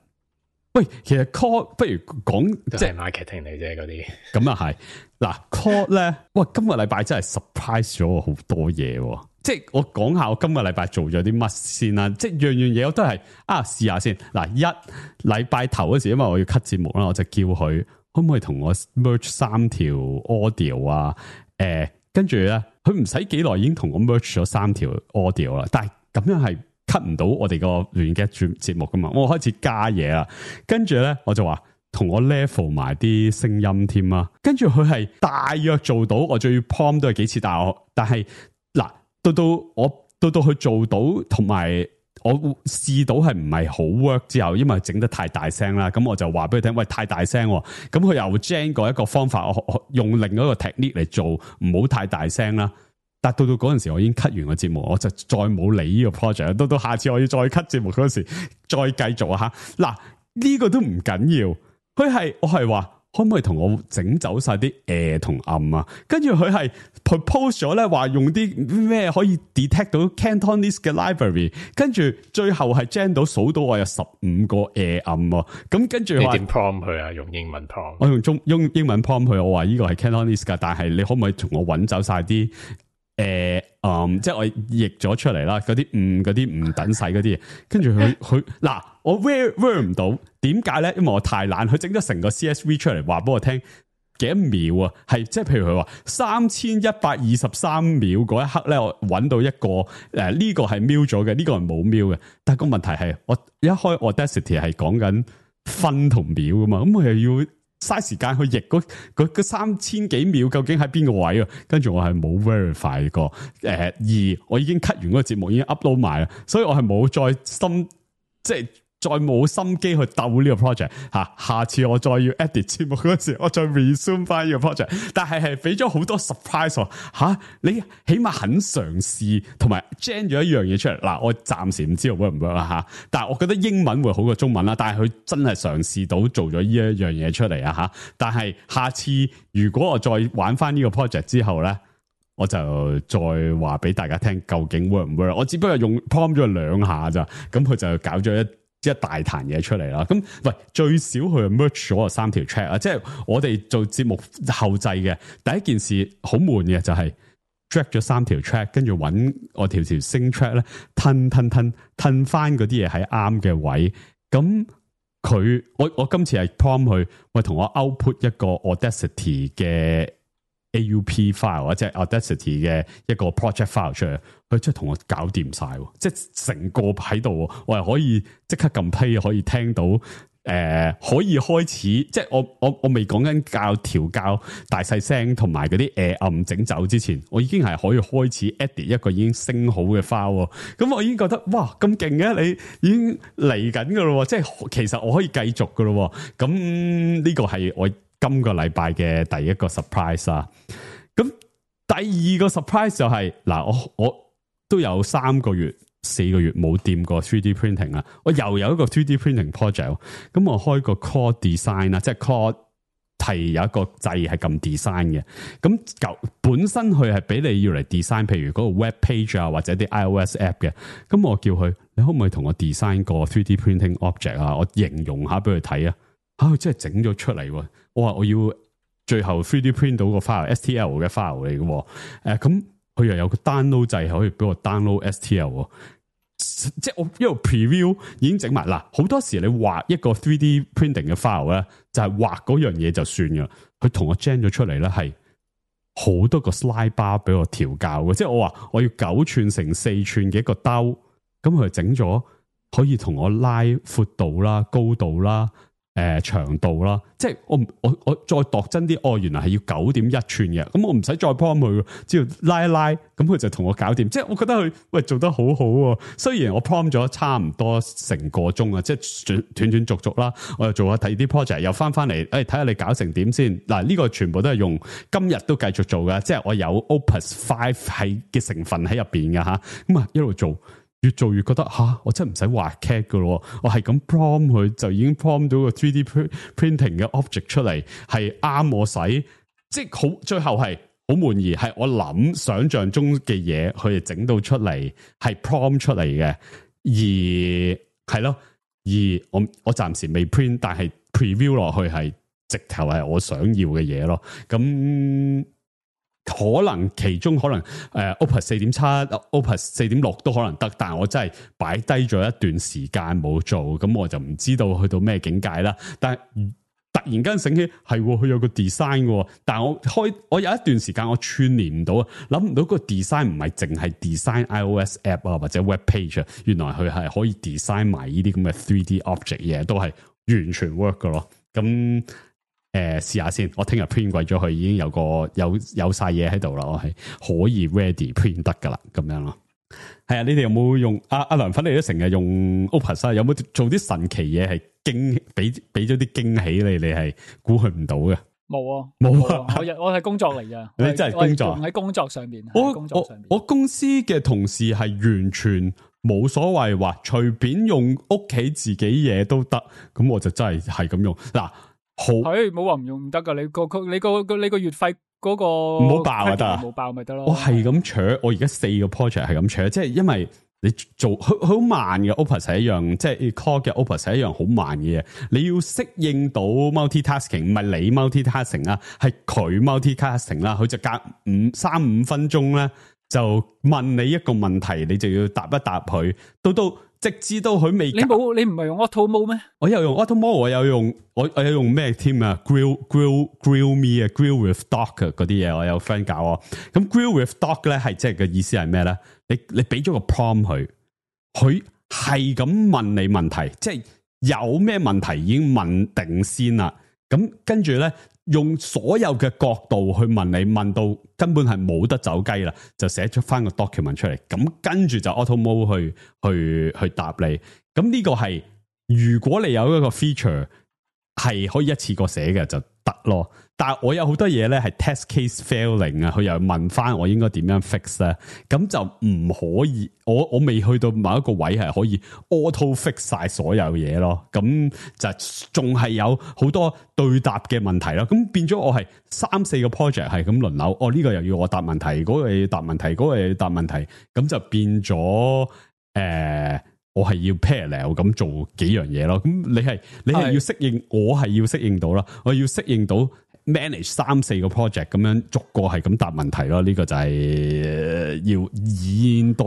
喂，其實 Claude 不如講即係 marketing 嚟啫，嗰啲咁啊係嗱 Claude 咧，哇，今個禮拜真係 surprise 咗我好多嘢，即係我講下我今個禮拜做咗啲乜先啦，即係樣嘢我都係試下先嗱，一禮拜頭嗰時，因為我要 cut 節目啦，我就叫佢可唔可以同我 merge 3條 audio 啊，跟住咧佢唔使幾耐已經同我 merge 咗3條 audio 啦，但係咁樣係cut 唔到我哋個聯嘅節目噶嘛，我開始加嘢啦，跟住咧我就話同我 level 埋啲聲音添啊，跟住佢係大約做到，我最 prompt 都係幾次，但係嗱到到佢做到，同埋我試到係唔係好 work 之後，因為整得太大聲啦，咁我就話俾佢聽，喂，太大聲，咁佢又 gen 過一個方法，我用另一個 technique 嚟做，唔好太大聲啦。但到嗰陣時，我已經 cut 完個節目，我就再冇理呢個 project。到下次我要再 cut 節目嗰時，再繼續啊吓。嗱，呢個都唔緊要，我係話可唔可以同我整走晒啲同暗啊？跟住佢係 propose 咗咧，話用啲咩可以 detect 到 Cantonese 嘅 library， 跟住最後係 gen 到數到我有15個暗喎。咁跟住你點 prompt 佢啊？用英文 prompt？ 我用英文 prompt 佢，我話呢個係 Cantonese 噶，但係你可唔可以同我揾走晒啲？即係我譯咗出嚟啦，嗰啲唔等使嗰啲嘢，跟住佢嗱，我 ver 唔到，點解咧？因為我太懶，佢整咗成個 CSV 出嚟，話俾我聽幾多秒啊？係即係譬如佢話3123秒嗰一刻咧，我揾到一個呢個係瞄咗嘅，呢個係冇瞄嘅。但係個問題係，我一開 Audacity 係講緊分同秒噶嘛，咁我又要嘥時間去譯嗰3000幾秒究竟喺邊個位啊？跟住我係冇 verify 過，而我已經 cut 完嗰個節目，已經 upload 埋啦，所以我係冇再冇心機去鬥呢個 project 吓。下次我再要 edit 節目嗰時，我再 resume 翻呢個 project。但係俾咗好多 surprise 吓，你起碼肯嘗試，同埋 gen 咗一樣嘢出嚟。嗱，我暫時唔知道 work 唔 work 啦吓，但係我覺得英文會好過中文啦。但係佢真係嘗試到做咗呢一樣嘢出嚟啊吓。但係下次如果我再玩翻呢個 project 之後咧，我就再話俾大家聽究竟 work 唔 work。我只不過用 prompt 咗2下咋，咁佢就搞咗一大壇嘢出嚟啦。咁喂，最少佢 merge 咗3條 track 啊，即係我哋做節目後製嘅第一件事好悶嘅就係 drag 咗3條 track， 跟住揾我條 sing track 咧，褪翻嗰啲嘢喺啱嘅位。咁我今次係 prompt 佢，喂，同我 output 一個 Audacity 嘅 AUP file 即係 Audacity 嘅一個 project file 出嚟，佢真係同我搞掂晒，即係成個喺度，我係可以即刻撳 play，可以聽到，可以開始，即係我未講緊調校大細聲同埋嗰啲暗整走之前，我已經係可以開始 edit 一個已經升好嘅 file，咁我已經覺得哇咁勁嘅，你已經嚟緊噶咯，即係其實我可以繼續噶咯，咁呢個係我今個禮拜嘅第一個 surprise 啦。咁第二個 surprise 就係嗱，我都有4個月冇掂過 3D printing 啦，我又有一個 3D printing project， 咁我開個 Claude Design 啦，即係 Claude 係有一個掣係撳 design 嘅，咁本身佢係俾你要嚟 design， 譬如嗰個 web page 啊或者啲 iOS app 嘅，咁我叫佢，你可唔可以同我 design 個 3D printing object 啊？我形容下俾佢睇啊，佢真係整咗出嚟喎！我話我要最後 3D print 到個 file，STL 嘅 file 嚟嘅，咁佢又有個 download 掣可以俾我 download STL， 即係我一路 preview 已經整埋啦。好多時你畫一個 3D printing 嘅 file 咧，就係畫嗰樣嘢就算噶。佢同我 gen 咗出嚟咧，係好多個 slide bar 俾我調校嘅，即係我話我要9寸乘4寸嘅一個兜，咁佢整咗可以同我拉闊度啦、高度啦。長度啦，即係我再度真啲，原來係要9.1寸嘅，咁我唔使再 prompt 佢，只要拉一拉，咁佢就同我搞掂。即係我覺得佢做得好好喎。雖然我 prompt 咗差唔多成個鐘啊，即係斷續續啦，我又做下睇啲 project， 又翻嚟，睇下你搞成點先。嗱，呢個全部都係用今日都繼續做嘅，即係我有 Opus 5係嘅成分喺入邊嘅吓，咁一路做。越做越覺得我真係唔使畫 CAD 噶咯，我係咁 prompt 佢就已經 prompt 到個 3D printing 嘅 object 出嚟，係啱我使，即係好最後係好滿意，係我諗想象中嘅嘢，佢哋整到出嚟係 prompt 出嚟嘅，而係咯，而我暫時未 print， 但係 preview 落去係直頭係我想要嘅嘢咯，咁。可能其中可能Opus 4.7、Opus 4.6都可能得，但係我真係擺低咗一段時間冇做，咁我就唔知道去到咩境界啦。但係突然間醒起，係佢有個 design 嘅，但係我有一段時間我串聯唔到，諗唔到個 design 唔係淨係 design iOS app 啊或者 web page 啊，原來佢係可以 design 埋呢啲咁嘅 3D object 嘢，都係完全 work 嘅咯。咁試下先，我聽日 print 鬼咗佢，已經有晒嘢喺度啦，我係可以 ready print 得噶啦，咁樣咯。係啊，你哋有冇用阿梁粉？你都成日用 Opus 啊？有冇做啲神奇嘢係俾咗啲驚喜你係估佢唔到嘅？冇啊！我係工作嚟㗎，你真係工作喺工作上邊。我公司嘅同事係完全冇所謂，話隨便用屋企自己嘢都得，咁我就真係咁用嗱。好，冇話唔用唔得噶，你個月費嗰個唔好爆就得，冇爆咪得咯。我係咁搶，我而家4個 project 係咁搶，即係因為你做佢好慢嘅 Opus 係一樣，即係 Core 嘅 Opus 係一樣好慢嘅嘢，你要適應到 multitasking， 唔係你 multitasking 啦，係佢 multitasking 啦，佢就隔3-5分鐘咧就問你一個問題，你就要答一答佢，到直至到佢未，你唔係用 Auto Mode 咩？我有用 Auto Mode， 我有用咩添啊 ？Grill me 啊 ，Grill with Doc 嗰啲嘢，我有 friend 教我。咁 Grill with Doc 咧係即係嘅意思係咩咧？你俾咗個 prompt 佢係咁問你問題，即係有咩問題已經問定先啦。咁跟住咧。用所有嘅角度去問你，問到根本係冇得走雞啦，就寫出翻個 document 出嚟，咁跟住就 auto mode 去答你。咁呢個係如果你有一個 feature 係可以一次過寫嘅，就得咯。但係我有好多嘢咧係 test case failing 啊，佢又問翻我應該點樣 fix 咧，咁就唔可以，我未去到某一個位係可以 auto fix 晒所有嘢咯，咁就仲係有好多對答嘅問題咯，咁變咗我係3-4個 project 係咁輪流，呢個又要我答問題，嗰個又要答問題，嗰個又要答問題，咁就變咗我係要 parallel 咁做幾樣嘢咯，咁你係要適應，我係要適應到啦，我要適應到 manage 3-4個 project 咁樣逐個係咁答問題咯，呢個就係要現代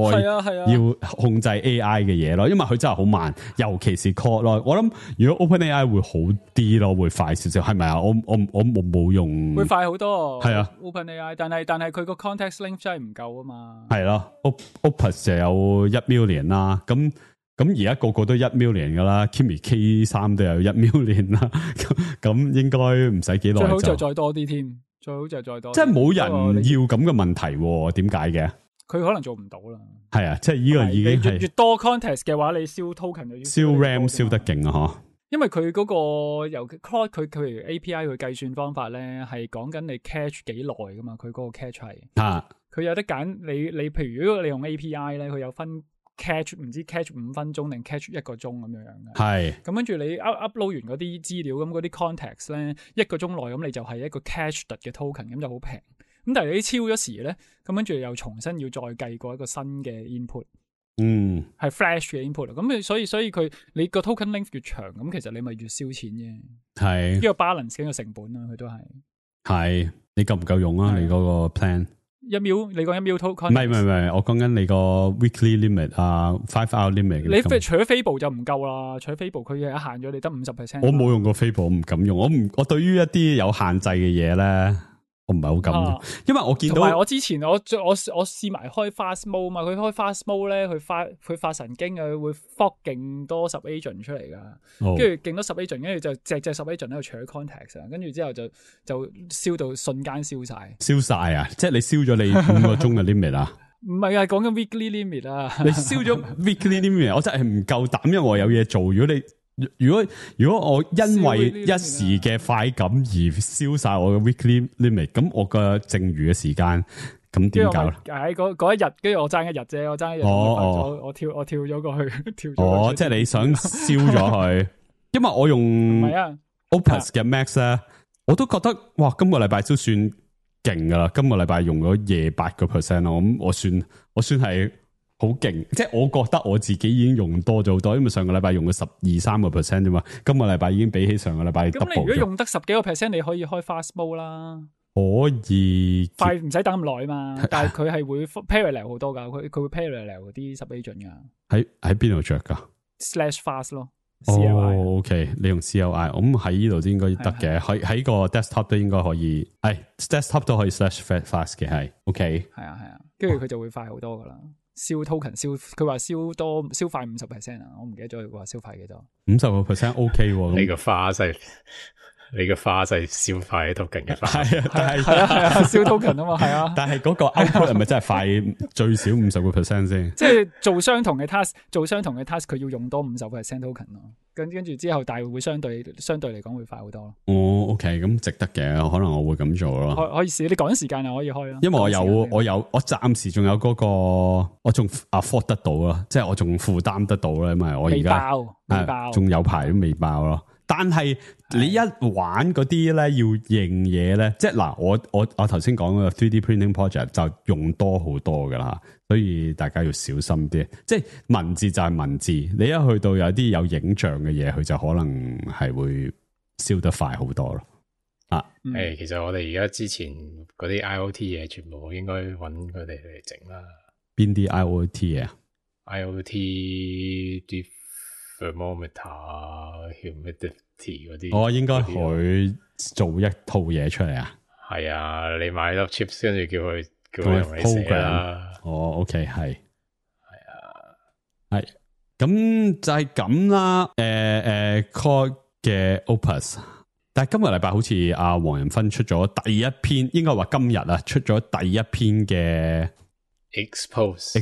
要控制 AI 嘅嘢咯，因為佢真係好慢，尤其是 Claude 咯。我諗如果 OpenAI 會好啲咯，會快少少，係咪啊？我冇用，會快好多。係啊 ，OpenAI，但係佢個 context length 真係唔夠啊嘛。係咯 ，Opus 就有1 million 啦，咁而家個個都1 million 噶啦 ，Kimi K3 都有1 million 啦，咁應該唔使幾耐。最好就再多啲添，最好就再多。即係冇人要咁嘅問題，點解嘅？佢可能做唔到啦。係啊，即係呢個已經係越多 context 嘅話，你燒 token 就要燒 RAM 燒得勁啊！嗬，因為佢嗰個由 Claude 佢譬如 API 佢計算方法咧，係講緊你 catch 幾耐噶嘛，佢嗰個 catch 係佢有得揀。你譬如如果你用 API 咧，佢有分。catch 唔知 catch 5分鐘定 catch 1個鐘咁樣嘅，係咁跟住你 upload 完嗰啲資料，咁嗰啲 context 咧1個鐘內，咁你就係一個 catch 嘅 token，咁就好平。咁但係你超咗時咧，咁跟住又重新要再計過一個新嘅 input，係 flash 嘅 input。咁所以佢你個 token length 越長，咁其實你咪越燒錢啫。係呢個 balance 嘅成本啊，佢都係你夠唔夠用啊？你嗰個 plan？1秒，你講1秒 token？ 唔係，我講緊你個 weekly limit 啊 ，5 hour limit。你除咗 Fable 就唔夠啦，除咗 Fable 佢係限咗你得50%。我冇用過 Fable，我唔敢用。我對於一啲有限制嘅嘢咧，我唔係好敢用，因為我見到我之前我試埋開 fast mode 嘛，佢開 fast mode 咧，佢發神經啊，佢會 fork 勁多10 agent 出嚟噶，跟住勁多10 agent，跟住就隻10 agent 喺度搶 context， 跟住之後就燒到瞬間燒晒啊！即係你燒咗你5個鐘嘅 limit 啊？唔係啊，講緊 weekly limit 啊！你燒咗 weekly limit， 我真係唔夠膽，因為我有嘢做。如果我因為一時嘅快感而燒晒我嘅 weekly limit， 咁我嘅剩餘嘅時間咁點搞咧？喺嗰一日，跟住我爭一日啫，我爭一日，我跳咗過去，跳咗。即係你想燒咗佢，因為我用 Opus 嘅 Max 咧，我都覺得哇，今個禮拜都算勁噶啦，今個禮拜用咗28%咯，咁我算係。好勁，即係我覺得我自己已經用多咗好多，因為上個禮拜用咗12-13% 啫嘛，今個禮拜已經比起上個禮拜 double 咗。咁你如果用得10幾個%，你可以開 fast mode 啦，可以快唔使等咁耐嘛。但係佢係會 parallel 好多噶，佢會 parallel 啲10 agent 噶。喺邊度着噶 ？/fast 咯。OK， 你用 CLI， 咁喺呢度都應該得嘅，喺個 desktop 都應該可以，desktop 都可以 /fast 嘅，係 OK。係啊，跟住佢就會快好多噶啦。燒 token 佢話燒快50%啊，我唔記得咗佢話燒快幾多。50% OK 喎，你個花係燒快 token 嘅花，係啊，燒 token 啊嘛，係啊。但係嗰個 output 係咪真係快最少50% 先？即係做相同嘅 task，佢要用多50% token 咯。跟住之後，但係會相對嚟講會快好多咯。OK， 咁值得嘅，可能我會咁做咯。可以試，你趕時間又可以開咯。因為我暫時仲有嗰個，我仲 afford 得到咯，即係我仲負擔得到啦，因為我而家未爆，仲有排都未爆咯。但係你一玩嗰啲咧，要認嘢咧，即係嗱，我頭先講嗰個 3D printing project 就用多好多噶啦，所以大家要小心啲。即係文字就係文字，你一去到有啲有影像嘅嘢，佢就可能係會燒得快好多咯。其實我哋而家之前嗰啲 IoT 嘢，全部應該揾佢哋嚟整啦。邊啲 IoT 嘢啊 ？IoT 啲 thermometer、humidity 嗰啲，應該佢做一套嘢出嚟啊。係啊，你買粒 chips 跟住叫佢同你寫啦。OK， 係啊，咁就係咁啦。Claude 嘅 Opus， 但係今個禮拜好似阿黃仁勳出咗第一篇，應該話今日啊出咗第一篇嘅 expose。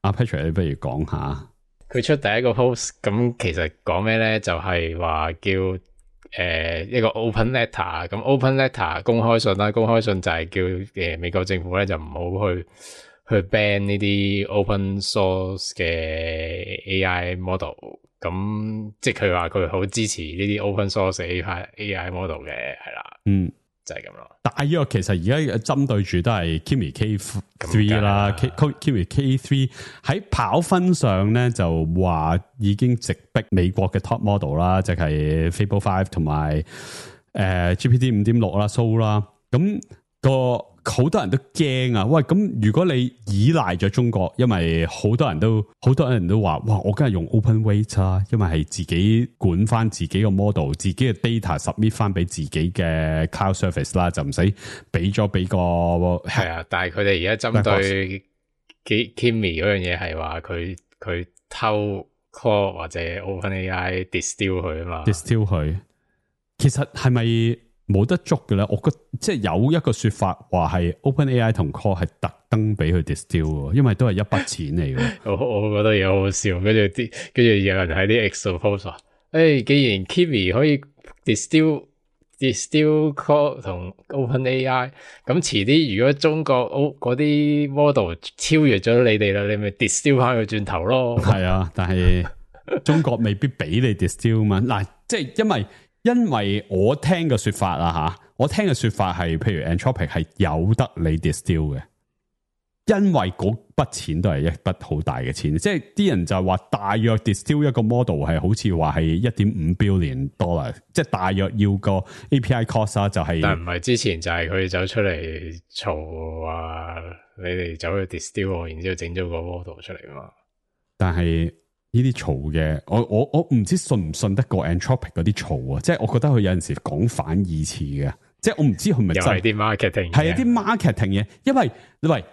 阿 Patrick， 你不如講下。佢出第一個 post， 咁其實講咩咧？就係話叫一個 open letter， 咁 open letter 公開信啦，公開信就係叫美國政府咧就唔好去 ban 呢啲 open source 嘅 AI model， 咁即係佢話佢好支持呢啲 open source AI model 嘅，係啦，就係咁咯。大約其實而家針對住都係 Kimi K3 啦，Kimi K3 喺跑分上咧就話已經直逼美國嘅 top model 啦，即係 Fable 5同埋GPT 5.6 啦 ，So 啦，咁好多人都驚啊！喂，咁如果你依賴咗中國，因為好多人都話，哇，我梗係用 open weight 啊，因為係自己管翻自己個 model， 自己嘅 data submit 翻俾自己嘅 cloud service 啦，就唔使俾個係啊。但係佢哋而家針對 Kimi 嗰樣嘢係話佢偷 core 或者 OpenAI distill 佢啊嘛 ，distill 佢，其實係咪？冇得捉嘅咧，我覺得即係有一個說法話係 OpenAI 同 Core 係特登俾佢 distill， 因為都係一筆錢嚟嘅。我覺得嘢好好笑，跟住有人喺啲 X 度 post 話，既然 Kimi 可以 distill Core 同 OpenAI， 咁遲啲如果中國嗰啲 model 超越咗你哋啦，你咪 distill 翻佢轉頭咯。係啊，但係中國未必俾你 distill 嘛。嗱，即係因為我聽嘅說法啦吓，我聽嘅說法係，譬如 Anthropic 係有得你 distill 嘅，因為嗰筆錢都係一筆好大嘅錢，即係啲人就話大約 distill 一個 model 係好似話係 $1.5 billion， 即係大約要個 API cost 啊，就係。但唔係之前就係佢走出嚟嘈話你哋走去 distill， 然之後整咗個 model 出嚟啊嘛。但係。呢啲嘈嘅，我唔知信唔信得過 Anthropic 嗰啲嘈啊！即係我覺得佢有陣時講反義詞嘅，即係我唔知佢咪真係啲 marketing， 係啲 marketing 嘢。因為喂，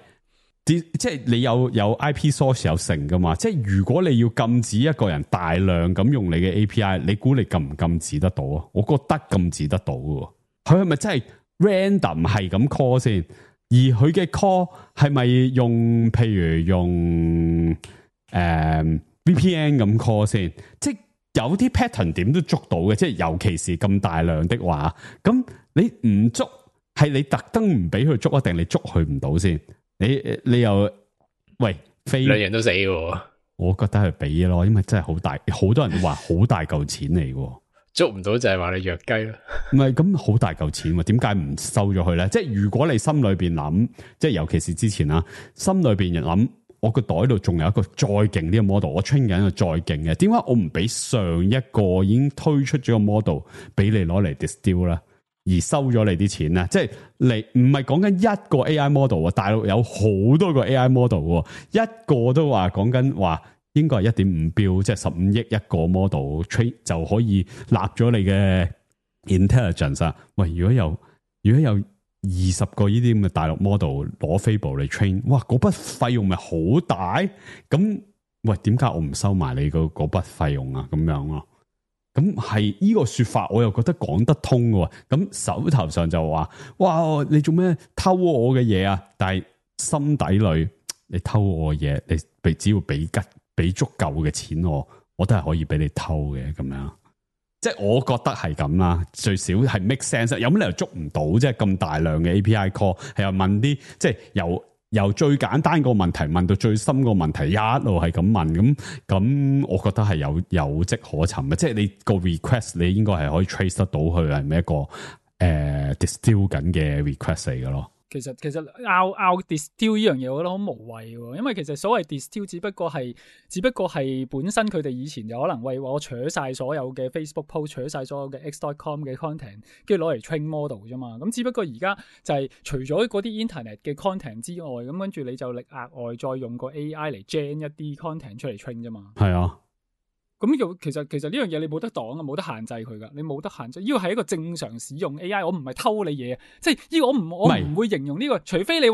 即係你有 IP source 有成噶嘛？即係如果你要禁止一個人大量咁用你嘅 API， 你估你禁唔禁止得到啊？我覺得禁止得到嘅，佢係咪真係 random 係咁 call 先？而佢嘅 call 係咪用譬如用VPN 咁 call 先，即係有啲 pattern 點都捉到嘅，即係尤其是咁大量的話，咁你唔捉係你特登唔俾佢捉，定你捉佢唔到先？你又喂飛兩樣都死嘅，我覺得係俾咯，因為真係好大，好多人都話好大嚿錢嚟嘅，捉唔到就係話你弱雞咯。唔係咁好大嚿錢，點解唔收咗佢咧？即係如果你心裏邊諗，即係尤其是之前啦，心裏邊諗。我個袋度仲有一個再勁啲嘅 model， 我 train 緊一個再勁嘅，點解我唔俾上一個已經推出咗個 model 俾你攞嚟 distill 啦，而收咗你啲錢咧？即係你唔係講緊一個 AI model 啊，大陸有好多個 AI model， 一個都話講緊話應該係 1.5 標，即係15億一個 model train 就可以立咗你嘅 intelligence 啊！喂，如果有20個呢啲咁嘅大陸 model 攞 Fable 嚟 train， 哇！嗰筆費用咪好大？咁喂，點解我唔收埋你嗰筆費用啊？咁樣咯，咁係呢個說法，我又覺得講得通嘅。咁手頭上就話，哇！你做咩偷我嘅嘢啊？但係心底裏，你偷我嘅嘢，你只要俾足夠嘅錢我都係可以俾你偷嘅咁樣。即係我覺得係咁啦，最少係 make sense。有乜理由捉唔到？即係咁大量嘅 API call， 係又問啲即係由最簡單個問題問到最深個問題，一路係咁問咁，我覺得係有跡可尋嘅。即係你個 request， 你應該係可以 trace 得到佢係咪一個distill 緊嘅 request 嚟嘅咯。其實拗 distill 呢樣嘢，我覺得好無謂喎，因為其實所謂 distill 只不過係本身佢哋以前有可能為我取晒所有嘅 Facebook post， 取晒所有嘅 X.com 嘅 content， 跟住攞嚟 train model 啫嘛。咁只不過而家就係除咗嗰啲 internet 嘅 content 之外，咁跟住你就額外再用個 AI 嚟 gen 一啲 content 出嚟 train 啫嘛。係啊。咁其實呢樣嘢你冇得擋啊，冇得限制佢噶，你冇得限制。呢個係一個正常使用 AI， 我唔係偷你嘢，即係呢個我唔會形容呢個，除非你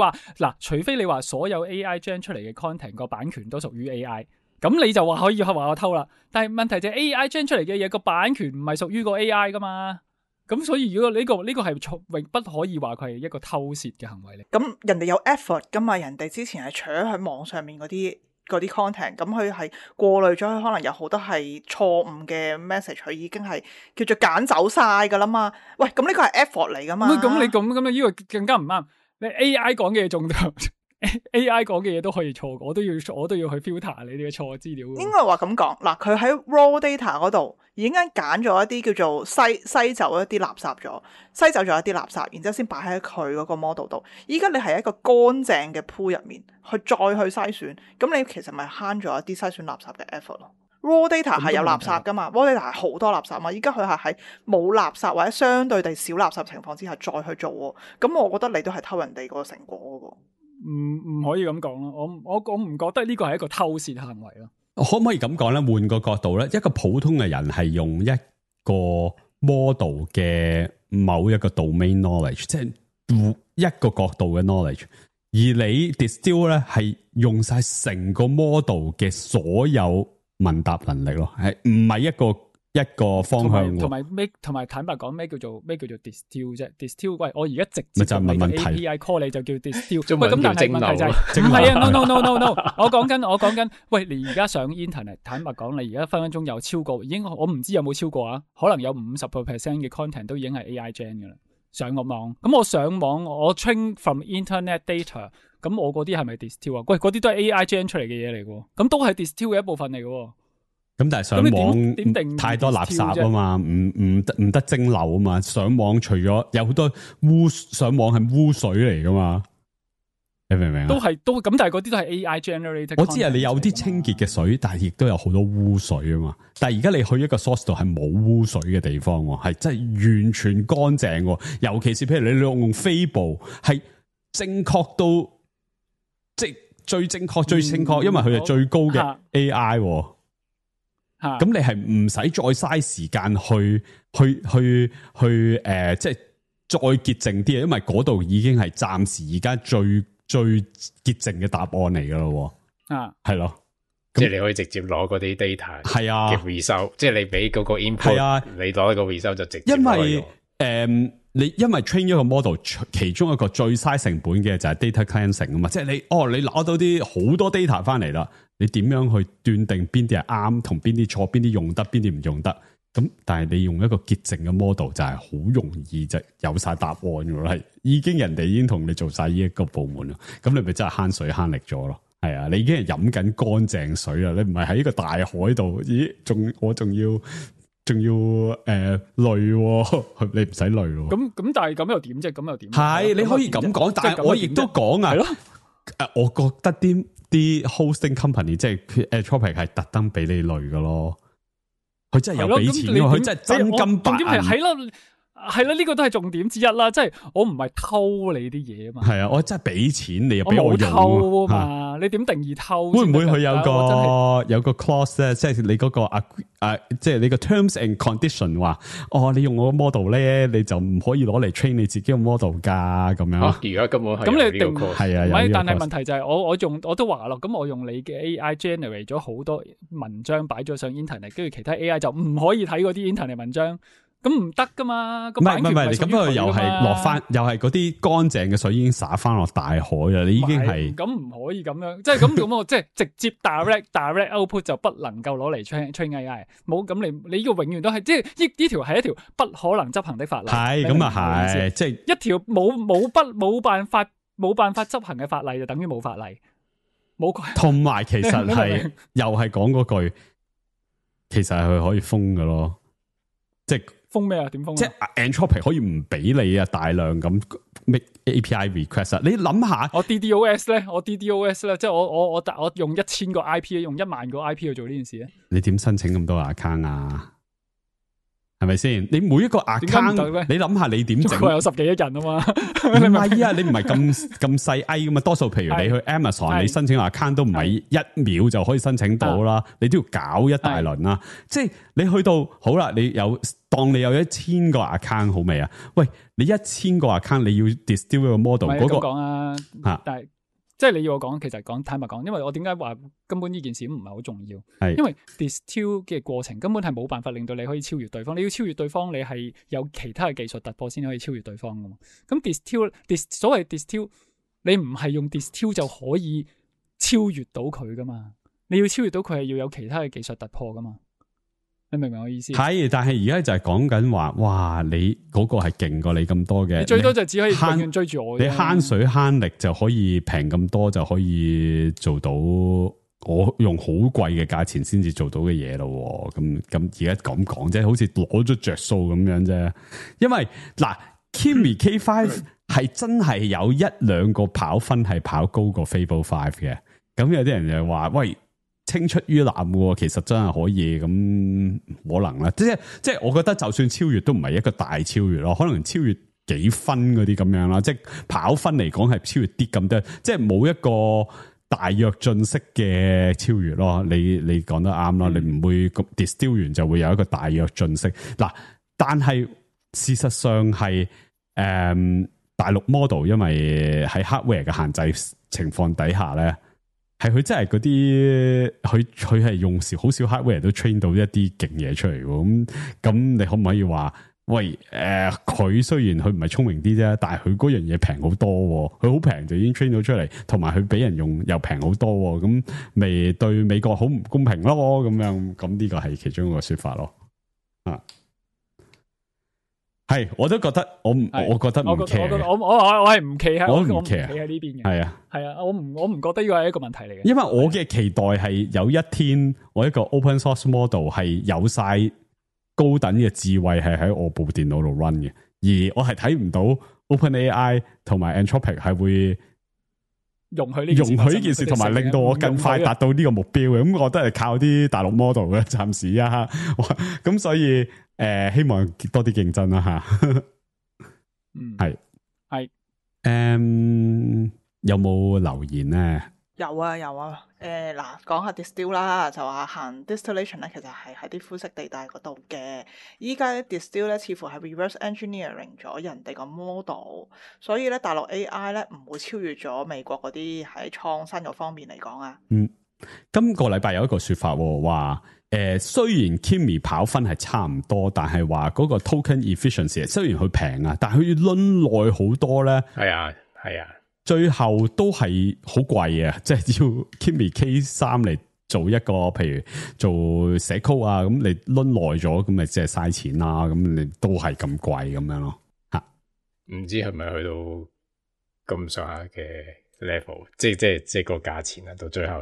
話所有 AI gen 出嚟嘅 content 個版權都屬於 AI， 咁你就話可以話我偷啦。但係問題就係 AI gen 出嚟嘅嘢個版權唔係屬於個 AI 噶嘛，咁所以如果呢個係永不可以話佢係一個偷竊嘅行為嚟。咁人哋有 effort 噶嘛，人哋之前係除咗喺網上面嗰啲嗰啲 content，咁佢係過濾咗，佢可能有好多係錯誤嘅 message，佢已經係叫做揀走晒噶啦嘛。喂，咁呢個係 effort 嚟噶嘛？咁你咁呢個更加唔啱。你 AI 講嘅嘢仲AI 講嘅嘢都可以錯，我都要去 filter 你哋嘅錯資料。應該話咁講，嗱，佢喺 raw data 嗰度已經揀咗一啲叫做篩走一啲垃圾咗，篩走咗一啲垃圾，然之後先擺喺佢嗰個 model 度。依家你係一個乾淨嘅 pool 入面，再去篩選，咁你其實咪慳咗一啲篩選垃圾嘅 effort 咯。raw data 係有垃圾噶嘛 ，raw data 係好多垃圾嘛。依家佢係喺冇垃圾或者相對地少垃圾情況之下再去做喎，咁我覺得你都係偷人哋嗰個成果嗰個。唔可以咁講咯，我唔覺得呢個係一個偷竊行為咯。可唔可以咁講咧？換個角度咧，一個普通嘅人係用一個 model 嘅某一個 domain knowledge， 即係一個角度嘅 knowledge， 而你 distill 咧係用晒成個 model 嘅所有問答能力咯，係唔係一個方向？同埋坦白講，咩叫做 distill 啫 ？distill 喂，我而家直接咪就係問問題 API call 你就叫 distill。喂，咁但係問題就係唔係啊 ？No， 我講緊，喂，你而家上 internet， 坦白講，你而家分分鐘有超過，已經我唔知有冇超過啊？可能有50% 嘅 content 都已經係 AI gen 噶啦。上個網，咁我上網我 train from internet data， 咁我嗰啲係咪 distill 啊？喂，嗰啲都係 AI gen 出嚟嘅嘢嚟嘅，咁都係 distill 嘅一部分嚟嘅。咁但係上網太多垃圾啊嘛，唔得蒸餾啊嘛。上網除咗有好多上網係污水嚟噶嘛，你明唔明啊？都咁，但係嗰啲都係 AI generated。我知係你有啲清潔嘅水，但係亦都有好多污水啊嘛。但係而家你去一個 source 度係冇污水嘅地方，係真係完全乾淨。尤其是譬如你用Fable係正確到即係最正確，因為佢係最高嘅 AI。咁你係唔使再嘥時間去即係再潔淨啲，因為嗰度已經係暫時而家最潔淨嘅答案嚟噶咯。係咯，即係你可以直接攞嗰啲 data 係啊嘅 result，即係你俾嗰個 input，啊，你攞一個 result 就直接因為因為 train 一個 model， 其中一個最嘥成本嘅就係 data cleansing 啊嘛，即係你攞到啲好多 data 翻嚟啦，你點樣去斷定邊啲係啱同邊啲錯，邊啲用得，邊啲唔用得？咁但係你用一個潔淨嘅 model 就係好容易就有晒答案噶啦，係人哋已經同你做晒呢一個部門啦，咁你咪真係慳水慳力咗咯。係啊，你已經係飲緊乾淨水啦，你唔係喺一個大海度，咦？我仲要累，你唔使累喎。咁但係咁又點啫？咁又點？係你可以咁講，但係我亦都講啊。我覺得啲 hosting company 即係 Anthropic 係特登俾你累噶咯，佢真係有俾錢，佢真係真金白銀。係啦，呢個都係重點之一啦，即係我唔係偷你啲嘢啊嘛。係啊，我真係俾錢你又俾我用偷啊嘛。你點定義偷？會唔會佢有個 clause 咧？即係你嗰個即係你個 terms and condition 話，你用我個 model 咧，你就唔可以攞嚟 train 你自己個 model 噶咁樣。而家根本係咁你定係啊？唔係，但係問題就係我都話咯，咁我用你嘅 AI generate 咗好多文章擺咗上 internet， 跟住其他 AI 就唔可以睇嗰啲 internet 文章。咁唔得噶嘛？唔係，你咁佢又係落翻，又係嗰啲乾淨嘅水已經灑翻落大海啦。你已經係咁唔可以咁樣，即係咁我即係直接 direct output 就不能夠攞嚟 train AI。冇咁你呢個永遠都係即係呢條係一條不可能執行的法例。係咁啊，係即係一條冇辦法執行嘅法例就等於冇法例。冇同埋其實係又係講嗰句，其實係佢可以封㗎咯，即係。封咩啊？點封？即係 Anthropic 可以唔俾你啊，大量咁 make API request 啊！你諗下，我 DDoS 咧，即係我用1000個 IP， 用1萬個 IP 去做呢件事咧。你點申請咁多 account 啊？係咪先？你每一個 account， 你諗下你點整？有10幾億人啊嘛？唔係啊，你唔係咁細 I 噶嘛？多數譬如你去 Amazon， 你申請 account 都唔係1秒就可以申請到啦，你都要搞一大輪啦。即係你去到好啦，當你有1000個 account 好未啊？喂，你1000個 account 你要 distill 一個 model 嗰個講啊，但係即係你要我講，其實坦白講，因為我點解話根本呢件事唔係好重要？係因為 distill 嘅過程根本係冇辦法令到你可以超越對方。你要超越對方，你係有其他嘅技術突破先可以超越對方噶嘛？咁所謂 distill，你唔係用 distill 就可以超越到佢噶嘛。你要超越到佢係要有其他嘅技術突破噶嘛。你明唔明我意思？係，但係而家就係講緊話，哇！你嗰個係勁過你咁多嘅，你最多就只可以永慳遠追住我啫。你慳水慳力就可以平咁多，就可以做到我用好貴嘅價錢先至做到嘅嘢咯。咁而家咁講啫，好似攞咗着數咁樣啫。因為嗱 Kimi K5 係真係有一兩個跑分係跑高過 Fable 5嘅。咁有啲人就話喂，青出於藍喎，其實真係可以咁可能啦。即係我覺得就算超越都唔係一個大超越咯，可能超越幾分嗰啲咁樣啦。即係跑分嚟講係超越啲咁多，即係冇一個大躍進式嘅超越咯。你講得啱啦，你唔會 distill 完就會有一個大躍進式嗱。但係事實上係大陸 model 因為喺 hardware 嘅限制情況底下咧。係佢真係嗰啲，佢係用好少 hardware 都 train 到一啲勁嘢出嚟喎。咁你可唔可以話，喂佢雖然佢唔係聰明啲啫，但係佢嗰樣嘢平好多，佢好平就已經 train 到出嚟，同埋佢俾人用又平好多，咁咪對美國好唔公平咯？咁樣咁呢個係其中一個說法咯。啊，係我都覺得我覺得唔 care， 我係唔企喺，我唔企喺呢邊嘅。係啊。係啊，我唔覺得呢個係一個問題嚟嘅。因為我嘅期待係有一天我一個 open source model 係有晒高等嘅智慧係喺我部電腦度 run 嘅，而我係睇唔到 OpenAI 同埋 Anthropic 係會容許呢件事，同埋令到我更快達到呢個目標嘅。咁我都係靠啲大陸 model 嘅，暫時啊。咁所以希望多啲競爭啦吓。係有冇留言咧？有啊。嗱，講下 distill 啦，就話行 distillation 咧，其實係喺啲灰色地帶嗰度嘅。依家咧 distill 咧，似乎係 reverse engineering 咗人哋個 model，所以咧大陸 AI 咧唔會超越咗美國嗰啲喺創新嗰方面嚟講啊。今個禮拜有一個說法話，雖然 Kimi 跑分係差唔多，但係話嗰個 token efficiency 雖然佢平啊，但係佢要輪耐好多咧。係啊。最後都係好貴啊！即係要 Kimi K3 嚟做一個，譬如做寫 code 啊，咁你掄耐咗，咁咪即係嘥錢啦。咁你都係咁貴咁樣咯。吓，唔知係咪去到咁上下嘅 level， 即係個價錢啊，到最後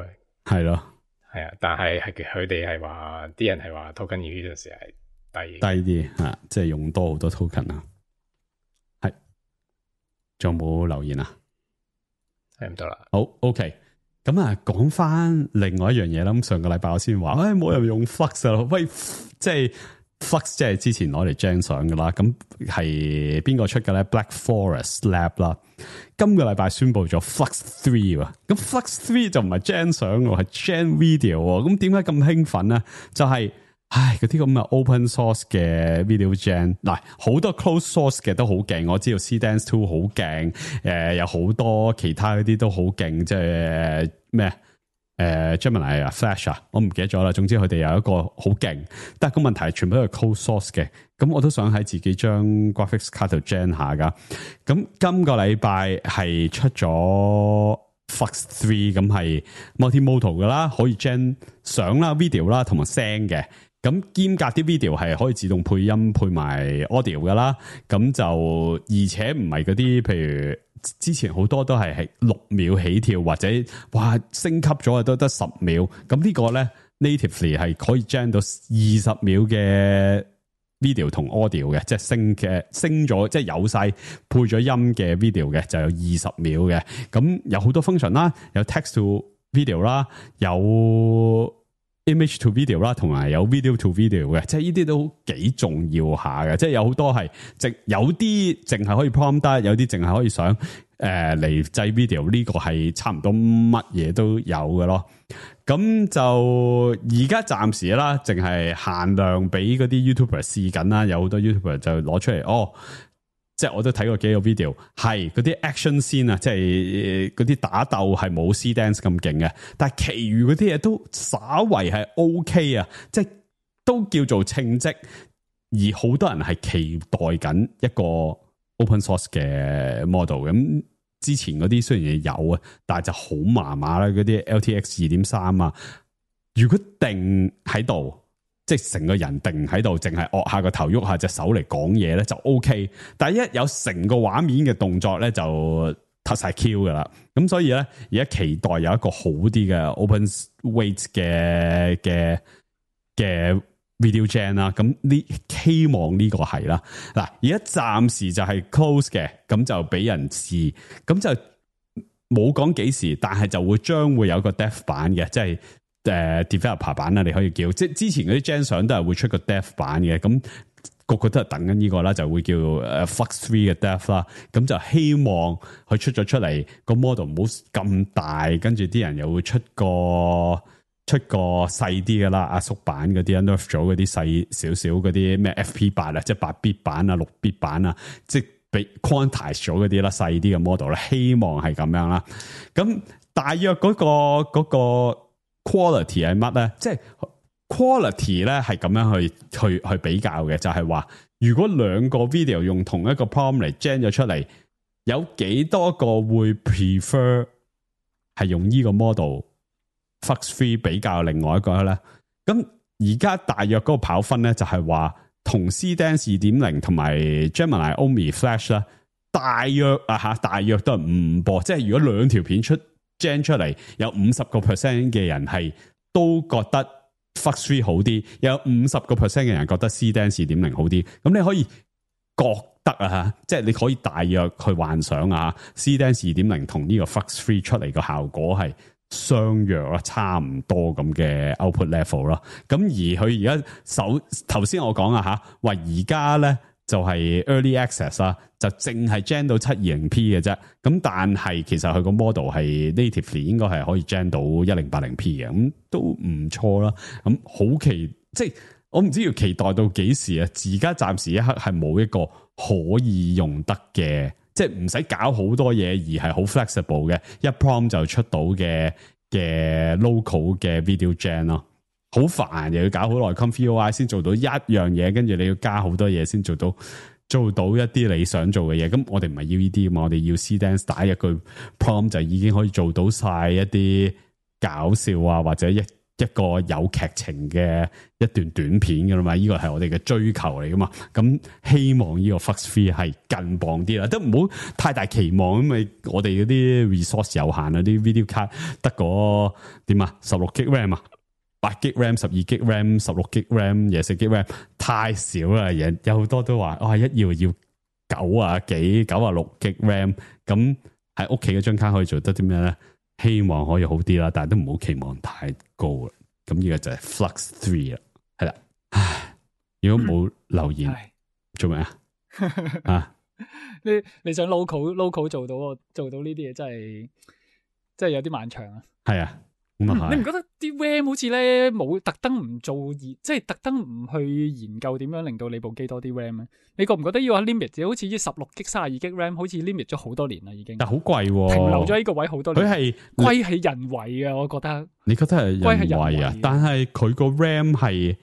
係咯，係啊。但係佢哋係話，啲人係話 token efficiency 係低啲吓，即係用多好多 token 啊。係，仲有冇留言啊？睇唔到啦。好 ，OK。咁啊，講翻另外一樣嘢啦。咁上個禮拜我先話，冇人用 Flux 啊。喂，即係 Flux，即係之前攞嚟 gen 相噶啦。咁係邊個出嘅咧 ？Black Forest Lab 啦。今個禮拜宣布咗 Flux 3喎。咁 Flux 3就唔係 gen 相喎，係 gen video 喎。咁點解咁興奮咧？就係嗰啲咁嘅 open source 嘅 video gen， 嗱，好多 closed source 嘅都好勁，我知道 CDance 2好勁，有好多其他嗰啲都好勁，即係咩Gemini 啊 Flash 啊，我唔記得咗啦。總之佢哋有一個好勁，但係個問題係全部都係 closed source 嘅，咁我都想喺自己張 graphics card 度 gen 下噶。咁今個禮拜係出咗Flux 3，咁係 multimodal 噶啦，可以 gen 相啦、video 啦同埋聲嘅。咁兼隔啲 video 係可以自動配音配埋 audio 噶啦，咁就而且唔係嗰啲，譬如之前好多都係6秒起跳，或者哇升級咗都得10秒，咁呢個咧 natively 係可以 gen 到20秒嘅 video 同 audio 嘅，即係升咗，即係有晒配咗音嘅 video 嘅就有20秒嘅，咁有好多 function 啦，有 text to video 啦，有image to video 啦，同埋有 video to video 嘅，即係呢啲都幾重要下嘅，即係有好多係有啲淨係可以 prompt 得，有啲淨係可以想嚟製 video， 呢個係差唔多乜嘢都有嘅咯。咁就而家暫時啦，淨係限量俾嗰啲 YouTuber 試緊啦，有好多 YouTuber 就攞出嚟即係我都睇過幾個 video， 係嗰啲 action scene啊，即係嗰啲打鬥係冇 C-Dance 咁勁嘅，但係其餘嗰啲嘢都稍為係 OK 啊，即係都叫做稱職，而好多人係期待緊一個 open source 嘅 model，咁之前嗰啲雖然有啊，但係就好麻麻啦，嗰啲 LTX 2.3啊，如果定喺度，即係成個人定喺度，淨係惡下個頭，喐下隻手嚟講嘢咧就 OK， 但係一有成個畫面嘅動作咧就突晒 Q 噶啦，咁所以咧而家期待有一個好啲嘅 open weight 嘅 video gen 啦，咁呢希望呢個係啦。嗱，而家暫時就係 close 嘅，咁就俾人試，咁就冇講幾時，但係就會將會有個 dev 版嘅，即係developer 版啦，你可以叫，即係之前嗰啲 gen 相都係會出個 dev 版嘅，咁個個都係等緊呢個啦，就會叫Flux 3嘅 dev 啦，咁就希望佢出咗出嚟個 model 唔好咁大，跟住啲人又會出個細啲嘅啦，阿叔版嗰啲 nerf 咗嗰啲細少少嗰啲咩 FP8 啊，即係8bit 版啊、6bit 版啊，即係被 quantize 咗嗰啲啦，細啲嘅 model 咧，希望係咁樣啦。咁大約嗰個 quality 係乜咧？即係 quality 咧係咁樣去比較嘅，就係話如果兩個 video 用同一個 prompt 嚟 gen 咗出嚟，有幾多個會 prefer 係用呢個 model Flux 3比較另外一個咧？咁而家大約嗰個跑分咧就係話同 CDance 2.0 同埋 Gemini Omni Flash 啦，大約都係5波，即係如果兩條片gen 出嚟，有 50% 嘅人係都覺得 Flux 3好啲，有 50% 嘅人覺得 CDance 2.0 好啲，咁你可以覺得即係你可以大約去幻想CDance 2.0 同呢個 Flux 3出嚟個效果係相若啦，差唔多咁嘅 output level 啦。咁而佢而家頭先我講話而家咧就係 early access 啦，就淨係 gen 到 720p 嘅啫。咁但係其實佢個 model 係 natively 應該係可以 gen 到 1080p 嘅，咁都唔錯啦。咁好即係我唔知要期待到幾時啊！而家暫時一刻係冇一個可以用得嘅。即係唔使搞好多嘢，而係好 flexible 嘅，一 prompt 就出到嘅 local 嘅 video gen 咯。好煩，又要搞好耐 ComfyUI 先做到一樣嘢，跟住你要加好多嘢先做到一啲你想做嘅嘢。咁我哋唔係要呢啲嘛，我哋要 CDance 打一句 prompt 就已經可以做到晒一啲搞笑啊，或者一個有劇情嘅一段短片噶啦嘛，呢個係我哋嘅追求嚟噶嘛。咁希望呢個 Flux 3係更磅啲啦，都唔好太大期望，因為我哋嗰啲 resource 有限啊，啲 video card 得個點啊，16GB RAM 啊，8GB RAM、12GB RAM、16GB RAM、24GB RAM 太少啦，有好多都話一要90幾、96GB RAM， 咁喺屋企嗰張卡可以做得啲咩咧？希望可以好啲啦，但係都唔好期望太高啦。咁呢個就係 Flux 3啦，係啦。唉，如果冇留言，做咩啊？你想 local 做到呢啲嘢，真係有啲漫長啊。係啊。你唔覺得啲 RAM 好似咧冇特登唔做即係特登唔去研究點樣令到你部機多啲 RAM 咧？你覺唔覺得要 limit？ 好似呢 16GB、32GB RAM 好似 limit 咗好多年啦，已經。但好貴，停留咗呢個位好多年。佢係歸係人為啊，我覺得。你覺得係人為啊？但係佢個 RAM 係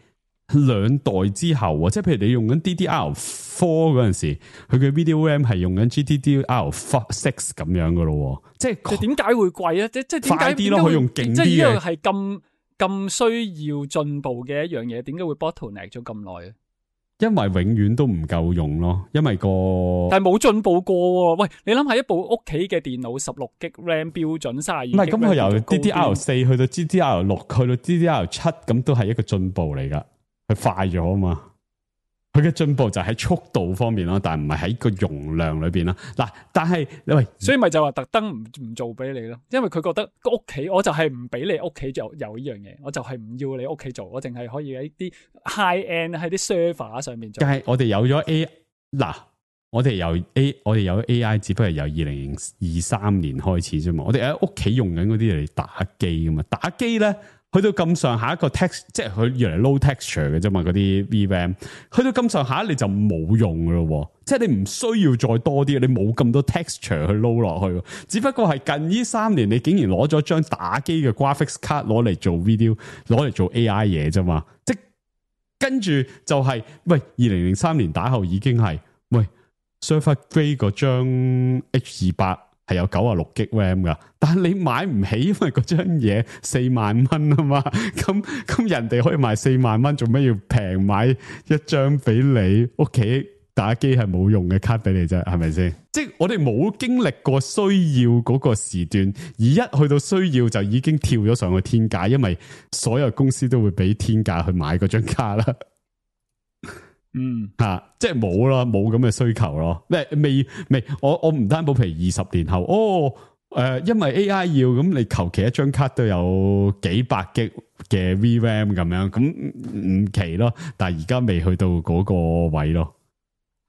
2代之後啊，即係譬如你用緊 DDR4 嗰陣時，佢嘅 video RAM 係用緊 GDDR6 咁樣噶咯，即係點解會貴啊？即係點解快啲咯？佢用勁啲嘅，即係呢樣係咁需要進步嘅一樣嘢，點解會 bottleneck 咗咁耐啊？因為永遠都唔夠用咯，因為但係冇進步過。喂，你諗下一部屋企嘅電腦16GB RAM 標準32GB，唔係咁佢由 DDR4 去到 GDDR6 去到 DDR7，咁都係一個進步嚟噶。佢快咗啊嘛，佢嘅進步就喺速度方面咯，但係唔係喺個容量裏邊啦。嗱，但係喂，所以咪就話特登唔做俾你咯，因為佢覺得屋企我就係唔俾你屋企有呢樣嘢，我就係唔要你屋企做，我淨係可以喺啲 high end 喺啲 server 上面做。但係我哋有咗我哋有 AI， 只不過係由2023年開始啫嘛。我哋喺屋企用緊嗰啲嚟打機噶嘛，打機咧。去到咁上下一個 text， 即係佢原來 low texture 嘅啫嘛，嗰啲 VRAM 去到咁上下你就冇用噶咯，即係你唔需要再多啲，你冇咁多 texture 去撈落去，只不過係近呢3年你竟然攞咗張打機嘅 graphics card 攞嚟做 video， 攞嚟做 AI 嘢啫嘛，即係跟住就係、喂2003年打後已經係喂 server grade 嗰張 H28 係有96G RAM 噶，但係你買唔起，因為嗰張嘢4萬蚊啊嘛，咁人哋可以賣4萬蚊，做咩要平買一張俾你屋企打機係冇用嘅卡俾你啫？係咪先？即係我哋冇經歷過需要嗰個時段，而一去到需要就已經跳咗上去天價，因為所有公司都會俾天價去買嗰張卡啦。即係冇啦，冇咁嘅需求咯。未，我唔擔保，譬如20年後，因為 AI 要咁，你求其一張卡都有幾百 G 嘅 VRAM 咁樣，咁唔奇咯。但係而家未去到嗰個位咯，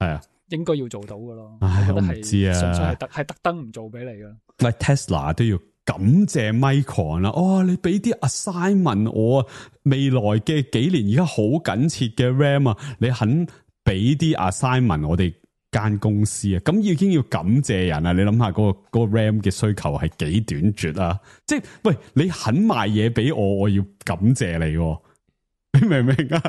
係啊，應該要做到噶咯。唉，我唔知啊，純粹係特登唔做俾你噶。喂 ，Tesla 都要感謝 Micron 啦。你俾啲 assignment 我啊，未來嘅幾年而家好緊切嘅 RAM 啊，你肯俾啲 assignment 我哋間公司啊，咁已經要感謝人啊！你諗下嗰個 RAM 嘅需求係幾短絕啊！即係喂，你肯賣嘢俾我，我要感謝你喎。你明唔明啊？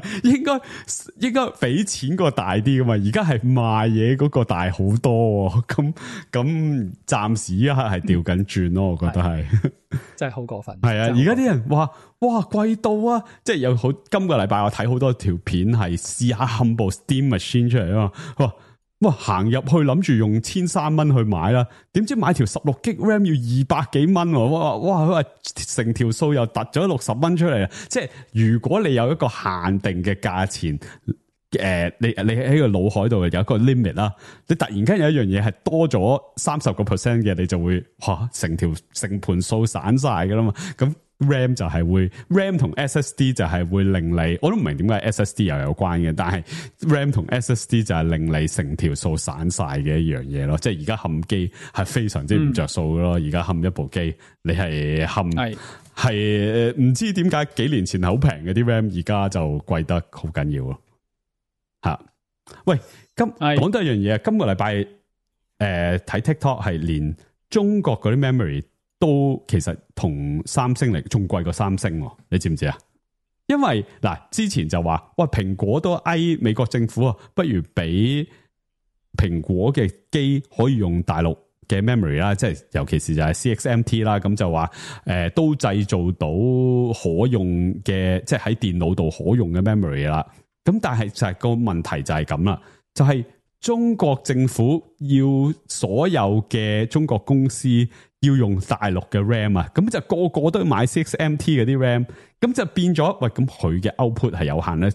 應該俾錢個大啲噶嘛，而家係賣嘢嗰個大好多，咁暫時一刻係調緊轉咯，我覺得係真係好過分。係啊，而家啲人話哇貴到啊，即係有好今個禮拜我睇好多條片係試下冚部 Steam Machine 出嚟啊嘛，哇行入去諗住用1300蚊去買啦，點知買條16G RAM 要200幾蚊，哇成條數又突咗60蚊出嚟啊！即係如果你有一個限定嘅價錢，你喺個腦海度有一個 limit 啦，你突然間有一樣嘢係多咗30% 嘅，你就會成盤數散晒噶啦嘛，咁。RAM 就係會 RAM 同 SSD 就係會令你，我都唔明點解 SSD 又有關嘅，但係 RAM 同 SSD 就係令你成條數散晒嘅一樣嘢咯。即係而家冚機係非常之唔着數咯。而家冚一部機，你係冚係唔知點解幾年前係好平嘅啲 RAM，而家就貴得好緊要咯。吓，喂，講多一樣嘢，今個禮拜睇 TikTok 係連中國嗰啲 memory。都其實同三星嚟仲貴過三星，你知唔知啊？因為嗱之前就話，哇蘋果都嗌美國政府啊，不如俾蘋果嘅機可以用大陸嘅 memory 啦，即係尤其是就係 CXMT 啦，咁就話都製造到可用嘅，即係喺電腦度可用嘅 memory 啦。咁但係就係個問題就係咁啦，就係中國政府要所有嘅中國公司。要用大陸嘅 RAM 啊，咁就個個都要買 6MT 嗰啲 RAM，咁就變咗喂，咁佢嘅 output 係有限咧。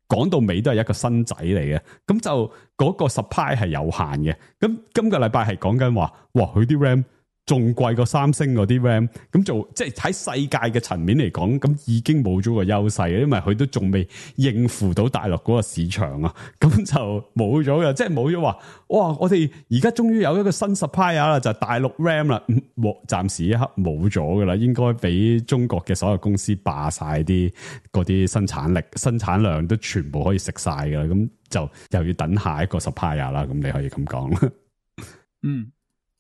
講到尾都係一個新仔嚟嘅，咁就嗰個 supply 係有限嘅。咁今個禮拜係講緊話，哇，佢啲 RAM 仲貴過三星嗰啲 RAM，咁就即係喺世界嘅層面嚟講，咁已經冇咗個優勢，因為佢都仲未應付到大陸嗰個市場啊，咁就冇咗嘅，即係冇咗話，哇！我哋而家終於有一個新 supplier 啦，就係大陸 RAM 啦，暫時一刻冇咗噶啦，應該俾中國嘅所有公司霸晒啲嗰啲生產力、生產量都全部可以食晒噶啦，咁就又要等下一個 supplier 啦，咁你可以咁講啦。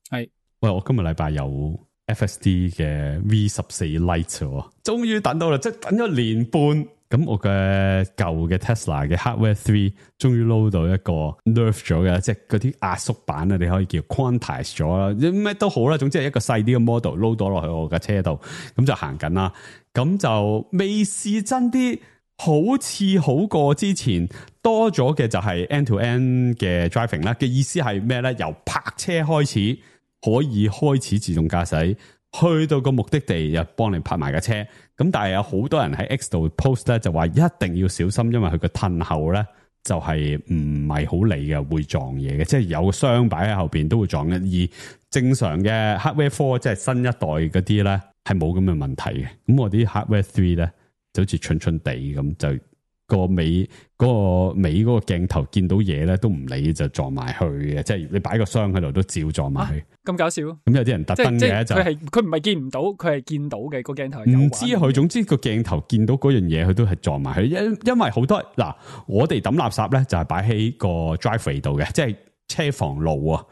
係。喂，我今日禮拜有 FSD 嘅 V14 Lite，終於等到啦，即係等咗年半。咁我嘅舊嘅 Tesla 嘅 Hardware 3終於撈到一個 nerf 咗嘅，即係嗰啲壓縮版啊，你可以叫 quantize 咗啦，咩都好啦，總之係一個細啲嘅 model 撈咗落去我嘅車度，咁就行緊啦。咁就未試真啲，好似好過之前多咗嘅就係 end-to-end 嘅 driving 啦。嘅意思係咩咧？由泊車開始。可以開始自動駕駛，去到個目的地又幫你泊埋架車。咁但係有好多人喺 X 度 post 咧，就話一定要小心，因為佢個褪後咧就係唔係好理嘅，會撞嘢嘅，即係有箱擺喺後邊都會撞嘅。而正常嘅 Hardware 4即係新一代嗰啲咧係冇咁嘅問題嘅。咁我啲 Hardware 3咧就好似蠢蠢地咁就。個尾嗰個鏡頭見到嘢咧都唔理就撞埋去嘅，即係你擺個箱喺度都照撞埋去。咁搞笑？咁有啲人特登嘅就佢唔係見唔到，佢係見到嘅個鏡頭。唔知佢，總之個鏡頭見到嗰樣嘢，佢都係撞埋去。因為好多嗱，我哋抌垃圾咧就係擺喺個 driveway 度嘅，即係車房路啊，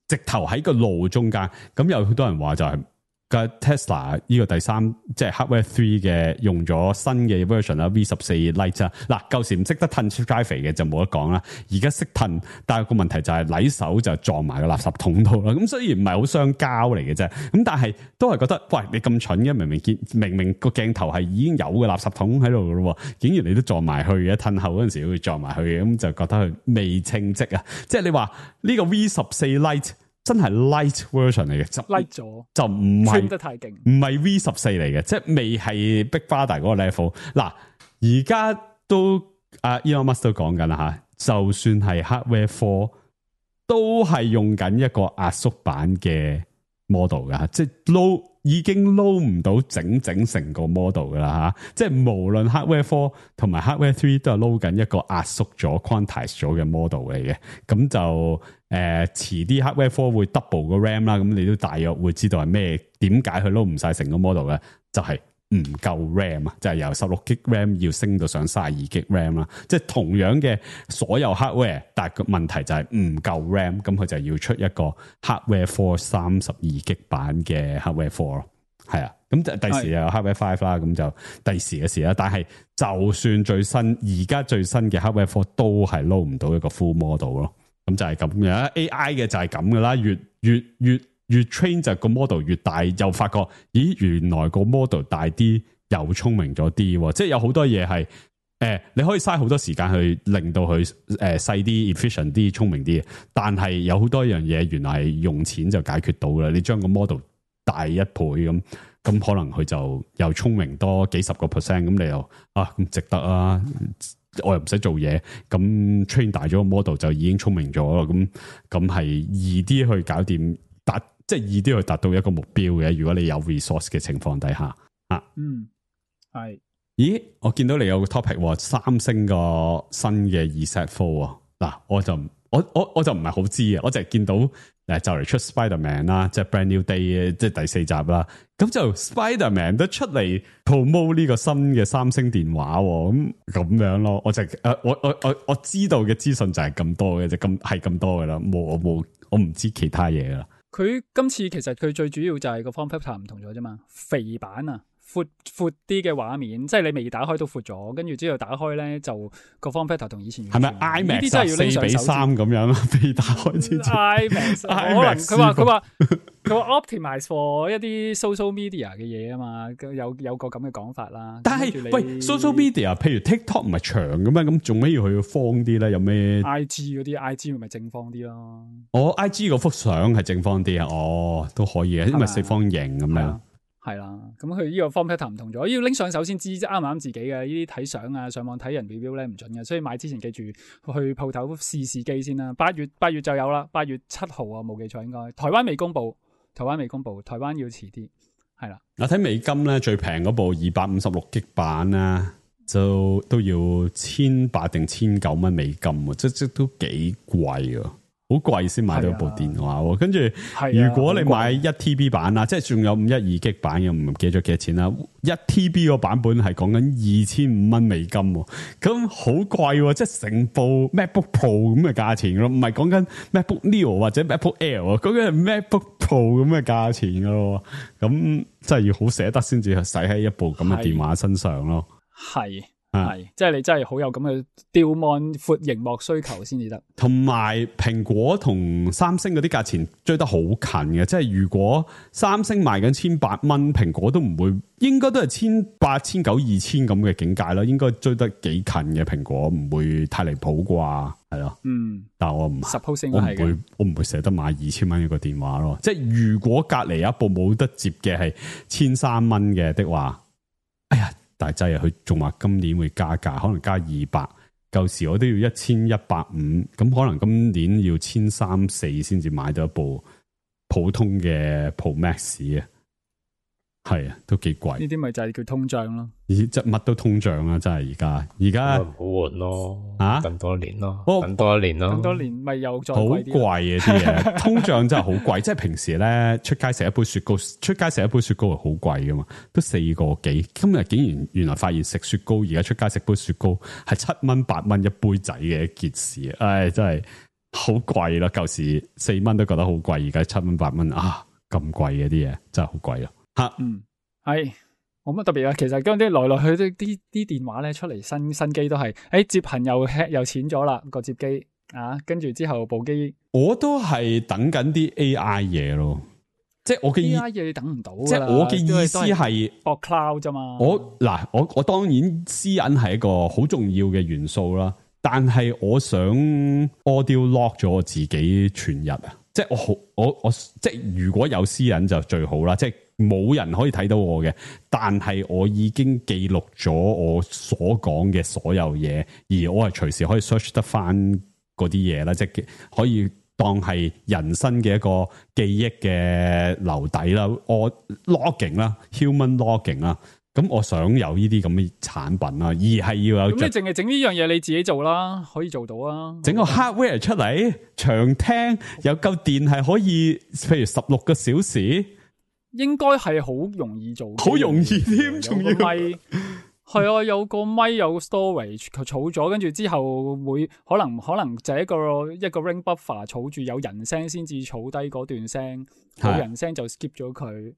直頭喺個路中間。咁有好多人話就係嘅 Tesla 呢個第三即係 Hardware 3嘅用咗新嘅 version 啦 V14 Lite 啊，嗱舊時唔識得褪 drive 嘅就冇得講啦，而家識褪，但係個問題就係禮手就撞埋個垃圾桶度啦。咁雖然唔係好傷膠嚟嘅啫，咁但係都係覺得喂你咁蠢嘅，明明個鏡頭係已經有個垃圾桶喺度嘅咯，竟然你都撞埋去嘅，褪後嗰陣時會撞埋去嘅，咁就覺得佢未稱職啊！即係你話呢個 V14 Lite。真係 light version 嚟嘅，就 light 咗，就唔係得太勁，唔係 V14 嚟嘅，即係未係 Big Brother 嗰個 level。嗱，而家都Elon Musk 都講緊啦吓，就算係 Hardware 4都係用緊一個壓縮版嘅 model 噶，即係已經撈唔到整成個 model 噶啦吓，即係無論 Hardware 4同埋 Hardware 3都係撈緊一個壓縮咗 quantize 咗嘅 model 嚟嘅，咁就遲啲 Hardware 4會 double 個 RAM 啦，咁你都大約會知道係咩，點解佢撈唔晒成個 model 嘅，就係唔夠 RAM 啊，就係由16GB RAM 要升到上32GB RAM 啦，即係同樣嘅所有 hardware， 但係個問題就係唔夠 RAM， 咁佢就要出一個 Hardware 4 32GB 版嘅 Hardware 4咯，係啊，咁第時又有 Hardware 5啦，咁就第時嘅事啦。但係就算而家最新嘅 Hardware 4都係撈唔到一個 full model 咯，咁就係咁樣 AI 嘅就係咁噶啦，越 train 就個 model 越大，又發覺咦原來個 model 大啲又聰明咗啲，即係有好多嘢係你可以嘥好多時間去令到佢細啲 efficient 啲聰明啲，但係有好多樣嘢原來係用錢就解決到啦。你將個 model 大1倍咁可能佢就又聰明多幾十個 percent， 咁你又咁值得啊！我又唔使做嘢，咁 train 大咗個 model 就已經聰明咗咯，咁係易啲去搞掂即係易啲去達到一個目標嘅。如果你有 resource 嘅情況底下係。咦，我見到你有個 topic， 三星個新嘅 Z4 嗱，我就唔係好知啊，我就係見到就嚟出 Spider-Man 啦，即係 Brand New Day 即係第4集啦，咁就 Spider-Man 都出嚟 promote 呢個新嘅三星電話，咁樣咯，我知道嘅資訊就係咁多嘅，就係咁多噶啦，我唔知其他嘢啦。佢今次其實佢最主要就係個 form factor 唔同咗啫嘛，肥版啊，闊啲嘅畫面，即係你未打開都闊咗，跟住之後打開咧就個 form factor 同以前係咪 IMAX 4:3咁樣啊？未打開之前 IMAX 可能佢話 optimize for 一啲 social media 嘅嘢啊嘛，有個咁嘅講法啦。但係喂 social media， 譬如 TikTok 唔係長嘅咩？咁做咩要去方啲咧？有咩 IG 嗰啲 IG 咪正方啲咯？IG 嗰幅相係正方啲啊？都可以嘅，因為四方形咁樣。係啦，咁佢呢個 form factor 唔同咗，要拎上手先知啱唔啱自己嘅。呢啲睇相啊，上網睇人 review 咧唔準嘅，所以買之前記住去鋪頭試機先啦。8月就有啦，8月7號啊，冇記錯應該。台灣未公布，台灣要遲啲，係啦。我睇美金咧最平嗰部256GB版啊，就都要1800定1900蚊美金，即都幾貴啊！好貴先買到部電話，跟住如果你買1TB 版啊，即係仲有512GB版嘅，唔記得咗幾多錢啦。1TB 個版本係講緊2500蚊美金，咁好貴，即係成部 MacBook Pro 咁嘅價錢咯，唔係講緊 MacBook Neo 或者 MacBook Air，講緊係 MacBook Pro 咁嘅價錢噶咯，咁真係要好捨得先至使喺一部咁嘅電話身上咯。係。即係你真係好有咁嘅吊望闊螢幕需求先至得，同埋蘋果同三星嗰啲價錢追得好近嘅，即係如果三星賣緊1800蚊，蘋果都唔會，應該都係1800、1900、2000咁嘅境界咯，應該追得幾近嘅，蘋果唔會太離譜啩，係咯，但係我唔會捨得買2000蚊一個電話咯，即係如果隔離有一部冇得接嘅係1300蚊嘅的話，哎呀！大劑啊！佢仲話今年會加價，可能加200。舊時我都要1150，咁可能今年要1300、1400先至買到一部普通嘅 Pro Max 啊。係啊，都幾貴。呢啲咪就係叫通脹咯。即係乜都通脹啊！真係而家唔好換咯，等多一年咯，等多一年咪又再貴啲。好貴啊啲嘢，通脹真係好貴。即係平時咧出街食一杯雪糕係好貴噶嘛，都4個幾。今日竟然原來發現食雪糕，而家出街食杯雪糕係7蚊8蚊一杯仔嘅一件事。唉，真係好貴啦！舊時4蚊都覺得好貴，而家7蚊8蚊啊，咁貴嘅啲嘢真係好貴咯。係冇乜特別啊。其實嗰啲來來去去啲電話咧出嚟新機都係，接頻又淺咗啦個接機啊，跟住之後部機我都係等緊啲 AI 嘢咯。即係我嘅 AI 嘢你等唔到㗎啦，即係我嘅意思係博 cloud 啫嘛。我當然私隱係一個好重要嘅元素啦，但係我想 audio lock 咗我自己全日啊！即係我即係如果有私隱就最好啦，即係冇人可以睇到我嘅，但係我已經記錄咗我所講嘅所有嘢，而我係隨時可以 search 得翻嗰啲嘢啦，即係可以。當係人生嘅一個記憶嘅留底啦，我 logging 啦 ，human logging 啦，咁我想有呢啲咁嘅產品啦，而係要有。咁你淨係整呢樣嘢你自己做啦，可以做到啊。整個 hardware 出嚟，長聽有夠電係可以，譬如16個小時，應該係好容易做，好容易添，仲要係啊，有個咪有個 storage 佢儲咗，跟住之後會可能就係一個 ring buffer 儲住有人聲先至儲低嗰段聲，冇人聲就 skip 咗佢，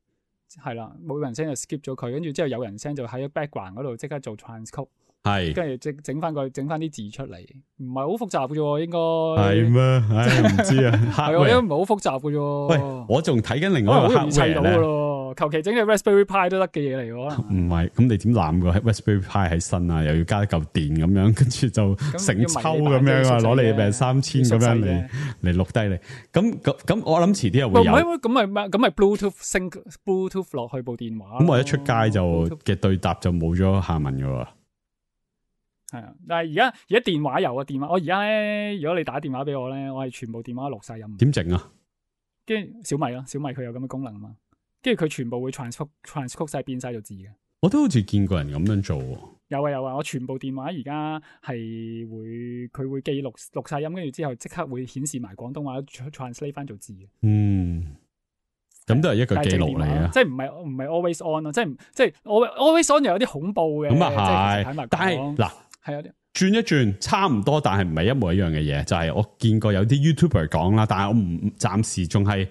係啦，冇人聲就 skip 咗佢，跟住之後有人聲就喺 background 嗰度即刻做 transcode， 係，跟住整翻啲字出嚟，唔係好複雜嘅啫，應該係咩？唉，唔知啊，係啊，因為唔係好複雜嘅啫。喂，我仲睇緊另外一個 hardware 咧。求其整隻 Raspberry Pi 都得嘅嘢嚟喎，唔係，咁你點攬個 Raspberry Pi 喺身啊？又要加一嚿電咁樣，跟住就成抽咁樣啊，攞你命3000咁樣嚟錄低你。咁我諗遲啲又會有。咁咪 Bluetooth 落去部電話。咁我一出街就嘅對答就冇咗下文噶喎。係啊，但係而家電話有啊，電話我而家咧，如果你打電話俾我咧，我係全部電話錄晒音。點整啊？跟住小米佢有咁嘅功能啊嘛。跟住佢全部會 transcribe 晒變晒做字嘅。我都好似見過人咁樣做。有啊，我全部電話而家係佢會記錄晒音，跟住之後即刻會顯示埋廣東話 translate 翻做字嘅。咁都係一個記錄嚟啊！即係唔係 always on 咯，即係 always on 又有啲恐怖嘅。咁啊係，但係嗱係有啲轉一轉差唔多，但係唔係一模一樣嘅嘢。就係我見過有啲 YouTuber 講啦，但係我暫時仲係。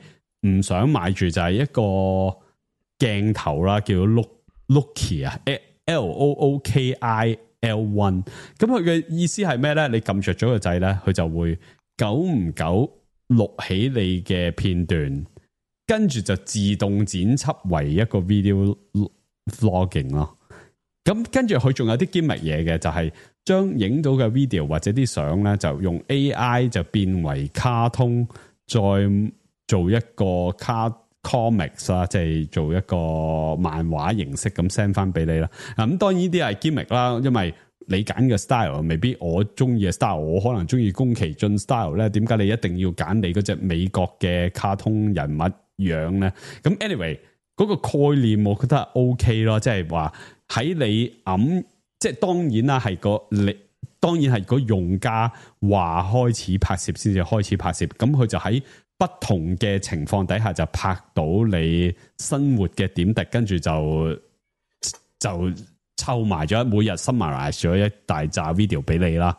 唔想買住就係一個鏡頭啦，叫 Looki 啊 ，Lookil1。咁佢嘅意思係咩咧？你撳着咗個掣咧，佢就會久唔久錄起你嘅片段，跟住就自動剪輯為一個 video vlogging 咯。咁跟住佢仲有啲 gimmick 嘢嘅，就係將影到嘅 video 或者啲相咧，就用 AI 就變為卡通，再做一個comics 啦，即係做一個漫畫形式咁 send 翻俾你啦。咁當然呢啲係 gimmick 啦，因為你揀嘅 style 未必我中意嘅 style， 我可能中意宮崎駿 style 咧。點解你一定要揀你嗰隻美國嘅卡通人物樣咧？咁 anyway 嗰個概念我覺得係 OK 咯，即係話喺你即係當然啦，當然係個用家話開始拍攝先至開始拍攝，咁佢就喺不同嘅情況底下就拍到你生活嘅點滴，跟住就湊埋咗每日 summarize 咗一大紮 video 俾你啦。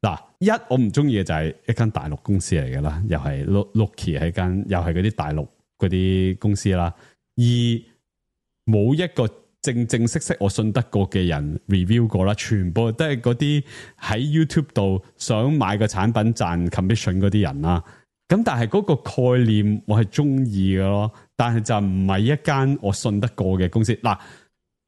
嗱，我唔中意嘅就係一間大陸公司嚟嘅啦，又係 Looki 係間又係嗰啲大陸嗰啲公司啦。而冇一個正式我信得過嘅人 review 過啦，全部都係嗰啲喺 YouTube 度想買個產品賺 commission 嗰啲人啦。咁但係嗰個概念我係中意嘅咯，但係就唔係一間我信得過嘅公司。嗱，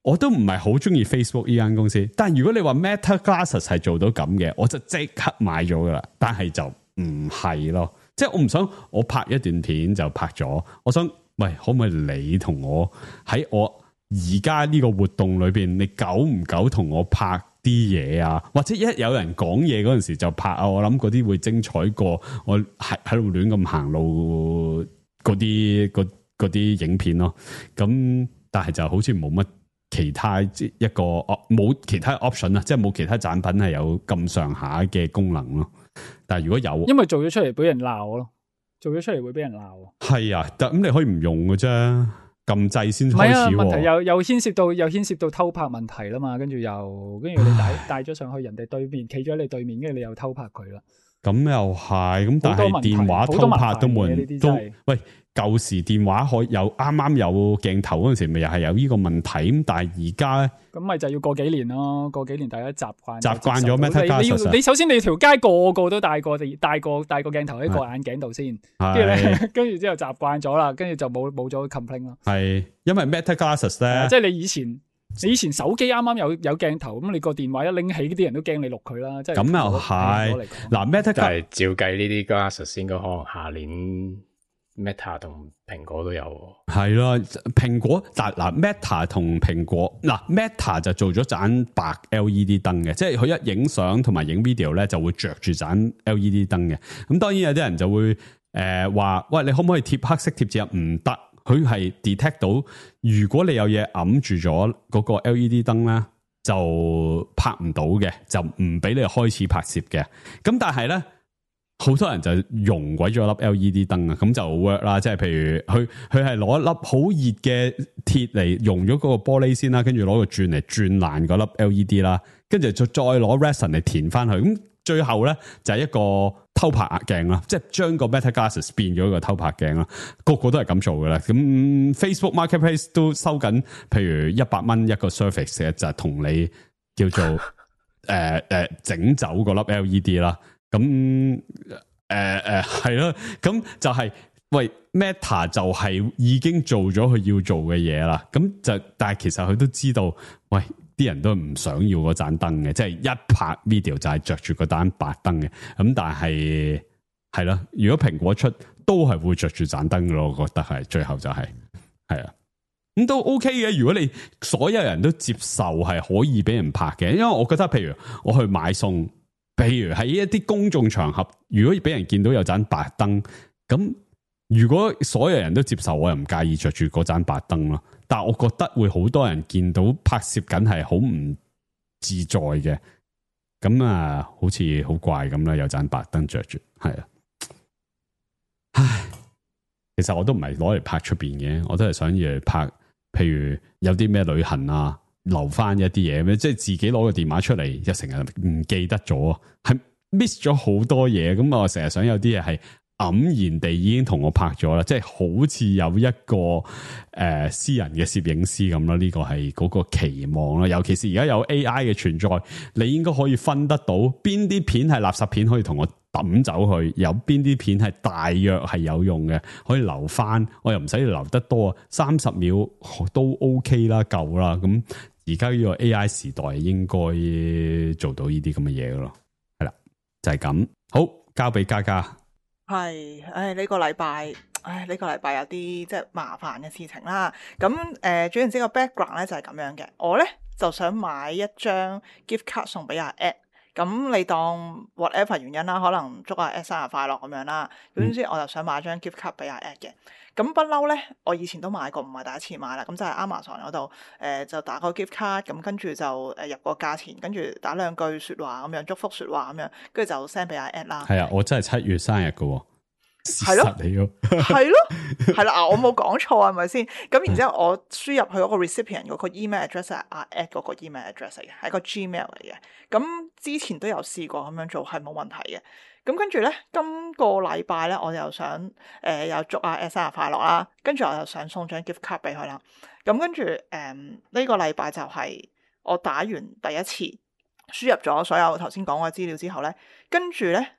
我都唔係好中意 Facebook 呢間公司，但係如果你話 Meta Glasses 係做到咁嘅，我就即刻買咗噶啦。但係就唔係咯，即係我唔想我拍一段片就拍咗，我想喂，可唔可以你同我喺我而家呢個活動裏邊，你久唔久同我拍啲嘢啊，或者一有人講嘢嗰陣時就拍啊，我諗嗰啲會精彩過我喺度亂咁行路嗰啲影片咯。咁但係就好似冇乜其他一個冇其他 option 啊，即係冇其他產品係有咁上下嘅功能咯。但係如果有，因為做咗出嚟俾人鬧咯，做咗出嚟會俾人鬧。係啊，咁你可以唔用嘅啫。撳掣先開始，問題又牽涉到偷拍問題啦嘛，跟住你帶咗上去人哋對面，企咗喺你對面，跟住你又偷拍佢啦。咁又係，咁但係好多問題電話偷拍都冇好多問題嘅呢人都啲真係喂。舊時電話可有啱啱有鏡頭嗰陣時，咪又係有呢個問題咁，但係而家咧。咁咪就要過幾年咯，過幾年大家習慣咗 Meta Glasses 你首先你條街個個都戴個鏡頭喺個眼鏡度先，跟住咧，跟住之後習慣咗啦，跟住就冇咗 complaint 咯。係因為 Meta Glasses 咧，即係你以前手機啱啱有鏡頭，咁你個電話一拎起，啲人都驚你錄佢啦。即係咁又係嗱 Meta， 但係照計呢啲 Glasses 應該可能下年。Meta 同蘋果都有，係咯，蘋果但嗱 Meta 同蘋果嗱 Meta 就做咗盞白 LED 燈嘅，即係佢一影相同埋影 video 咧就會着住盞 LED 燈嘅。咁當然有啲人就會話，喂，你可唔可以貼黑色貼紙啊？唔得，佢係 detect 到，如果你有嘢揞住咗嗰個 LED 燈咧，就拍唔到嘅，就唔俾你開始拍攝嘅。咁但係咧。好多人就溶鬼咗粒 LED 燈啊，咁就 work 啦。即係譬如佢係攞一粒好熱嘅鐵嚟溶咗嗰個玻璃先啦，跟住攞個鑽嚟鑽爛嗰粒 LED 啦，跟住再攞 resin 嚟填翻去。咁最後咧就係一個偷拍鏡啦，即係將個 Meta Glasses 變咗一個偷拍鏡啦。個個都係咁做嘅啦。咁 Facebook Marketplace 都收緊，譬如$100一個 service 嘅，就係同你叫做整走嗰粒 LED 啦。咁係咯，咁就係、是、喂 Meta 就係已經做咗佢要做嘅嘢啦。咁就但係其實佢都知道，喂啲人都唔想要嗰盞燈嘅，即係一拍 video 就係着住嗰盞白燈嘅。咁但係係咯，如果蘋果出都係會着住盞燈嘅咯，我覺得係最後就係啊，咁都 OK 嘅。如果你所有人都接受係可以俾人拍嘅，因為我覺得譬如我去買餸。譬如喺一啲公眾場合，如果俾人見到有盞白燈，咁如果所有人都接受，我又唔介意着住嗰盞白燈咯。但係我覺得會好多人見到拍攝緊係好唔自在嘅，咁啊，好似好怪咁啦，有盞白燈着住，係啊，唉，其實我都唔係攞嚟拍出邊嘅，我都係想要嚟拍，譬如有啲咩旅行啊。留翻一啲嘢，即係自己攞個電話出嚟，又成日唔記得咗，係 miss 咗好多嘢。咁我成日想有啲嘢係黯然地已經同我拍咗啦，即係好似有一個私人嘅攝影師咁啦。呢個係嗰個期望啦。尤其是而家有 AI 嘅存在，你應該可以分得到邊啲片係垃圾片，可以同我抌走去，有邊啲片係大約係有用嘅，可以留翻。我又唔使留得多，30秒都 OK 啦，夠啦。咁而家呢個 AI 時代應該做到呢啲咁嘅嘢咯，係啦，就係咁。好，交俾嘉嘉。係，呢個禮拜有啲即係麻煩嘅事情啦。咁總言之個 background 咧就係咁樣嘅。我咧就想買一張 gift card 送俾阿 Ed。咁你當 whatever 原因啦，可能祝阿 Ed 生日快樂咁樣啦。總之我就想買張 gift card 俾阿 Ed 嘅。咁不嬲咧，我以前都買過，唔係第一次買啦。咁就係 Amazon 嗰度，就打個 gift card，咁跟住就入個價錢，跟住打兩句説話咁樣，祝福説話咁樣，跟住就 send 俾阿 Ed 啦。係啊，我真係7月生日嘅喎。係咯，係咯，係啦，我冇講錯係咪先？咁然之後我輸入去嗰個 recipient 嗰個 email address 係阿 Ed 嗰個 email address 嚟嘅，係個 Gmail 嚟嘅。咁之前都有試過咁樣做，係冇問題嘅。咁跟住咧，今個禮拜咧，我又想又祝阿 Ed 生日快樂啦。跟住我又想送張 gift card 俾佢啦。咁跟住呢個禮拜就係我打完第一次輸入咗所有頭先講嘅資料之後咧，跟住咧。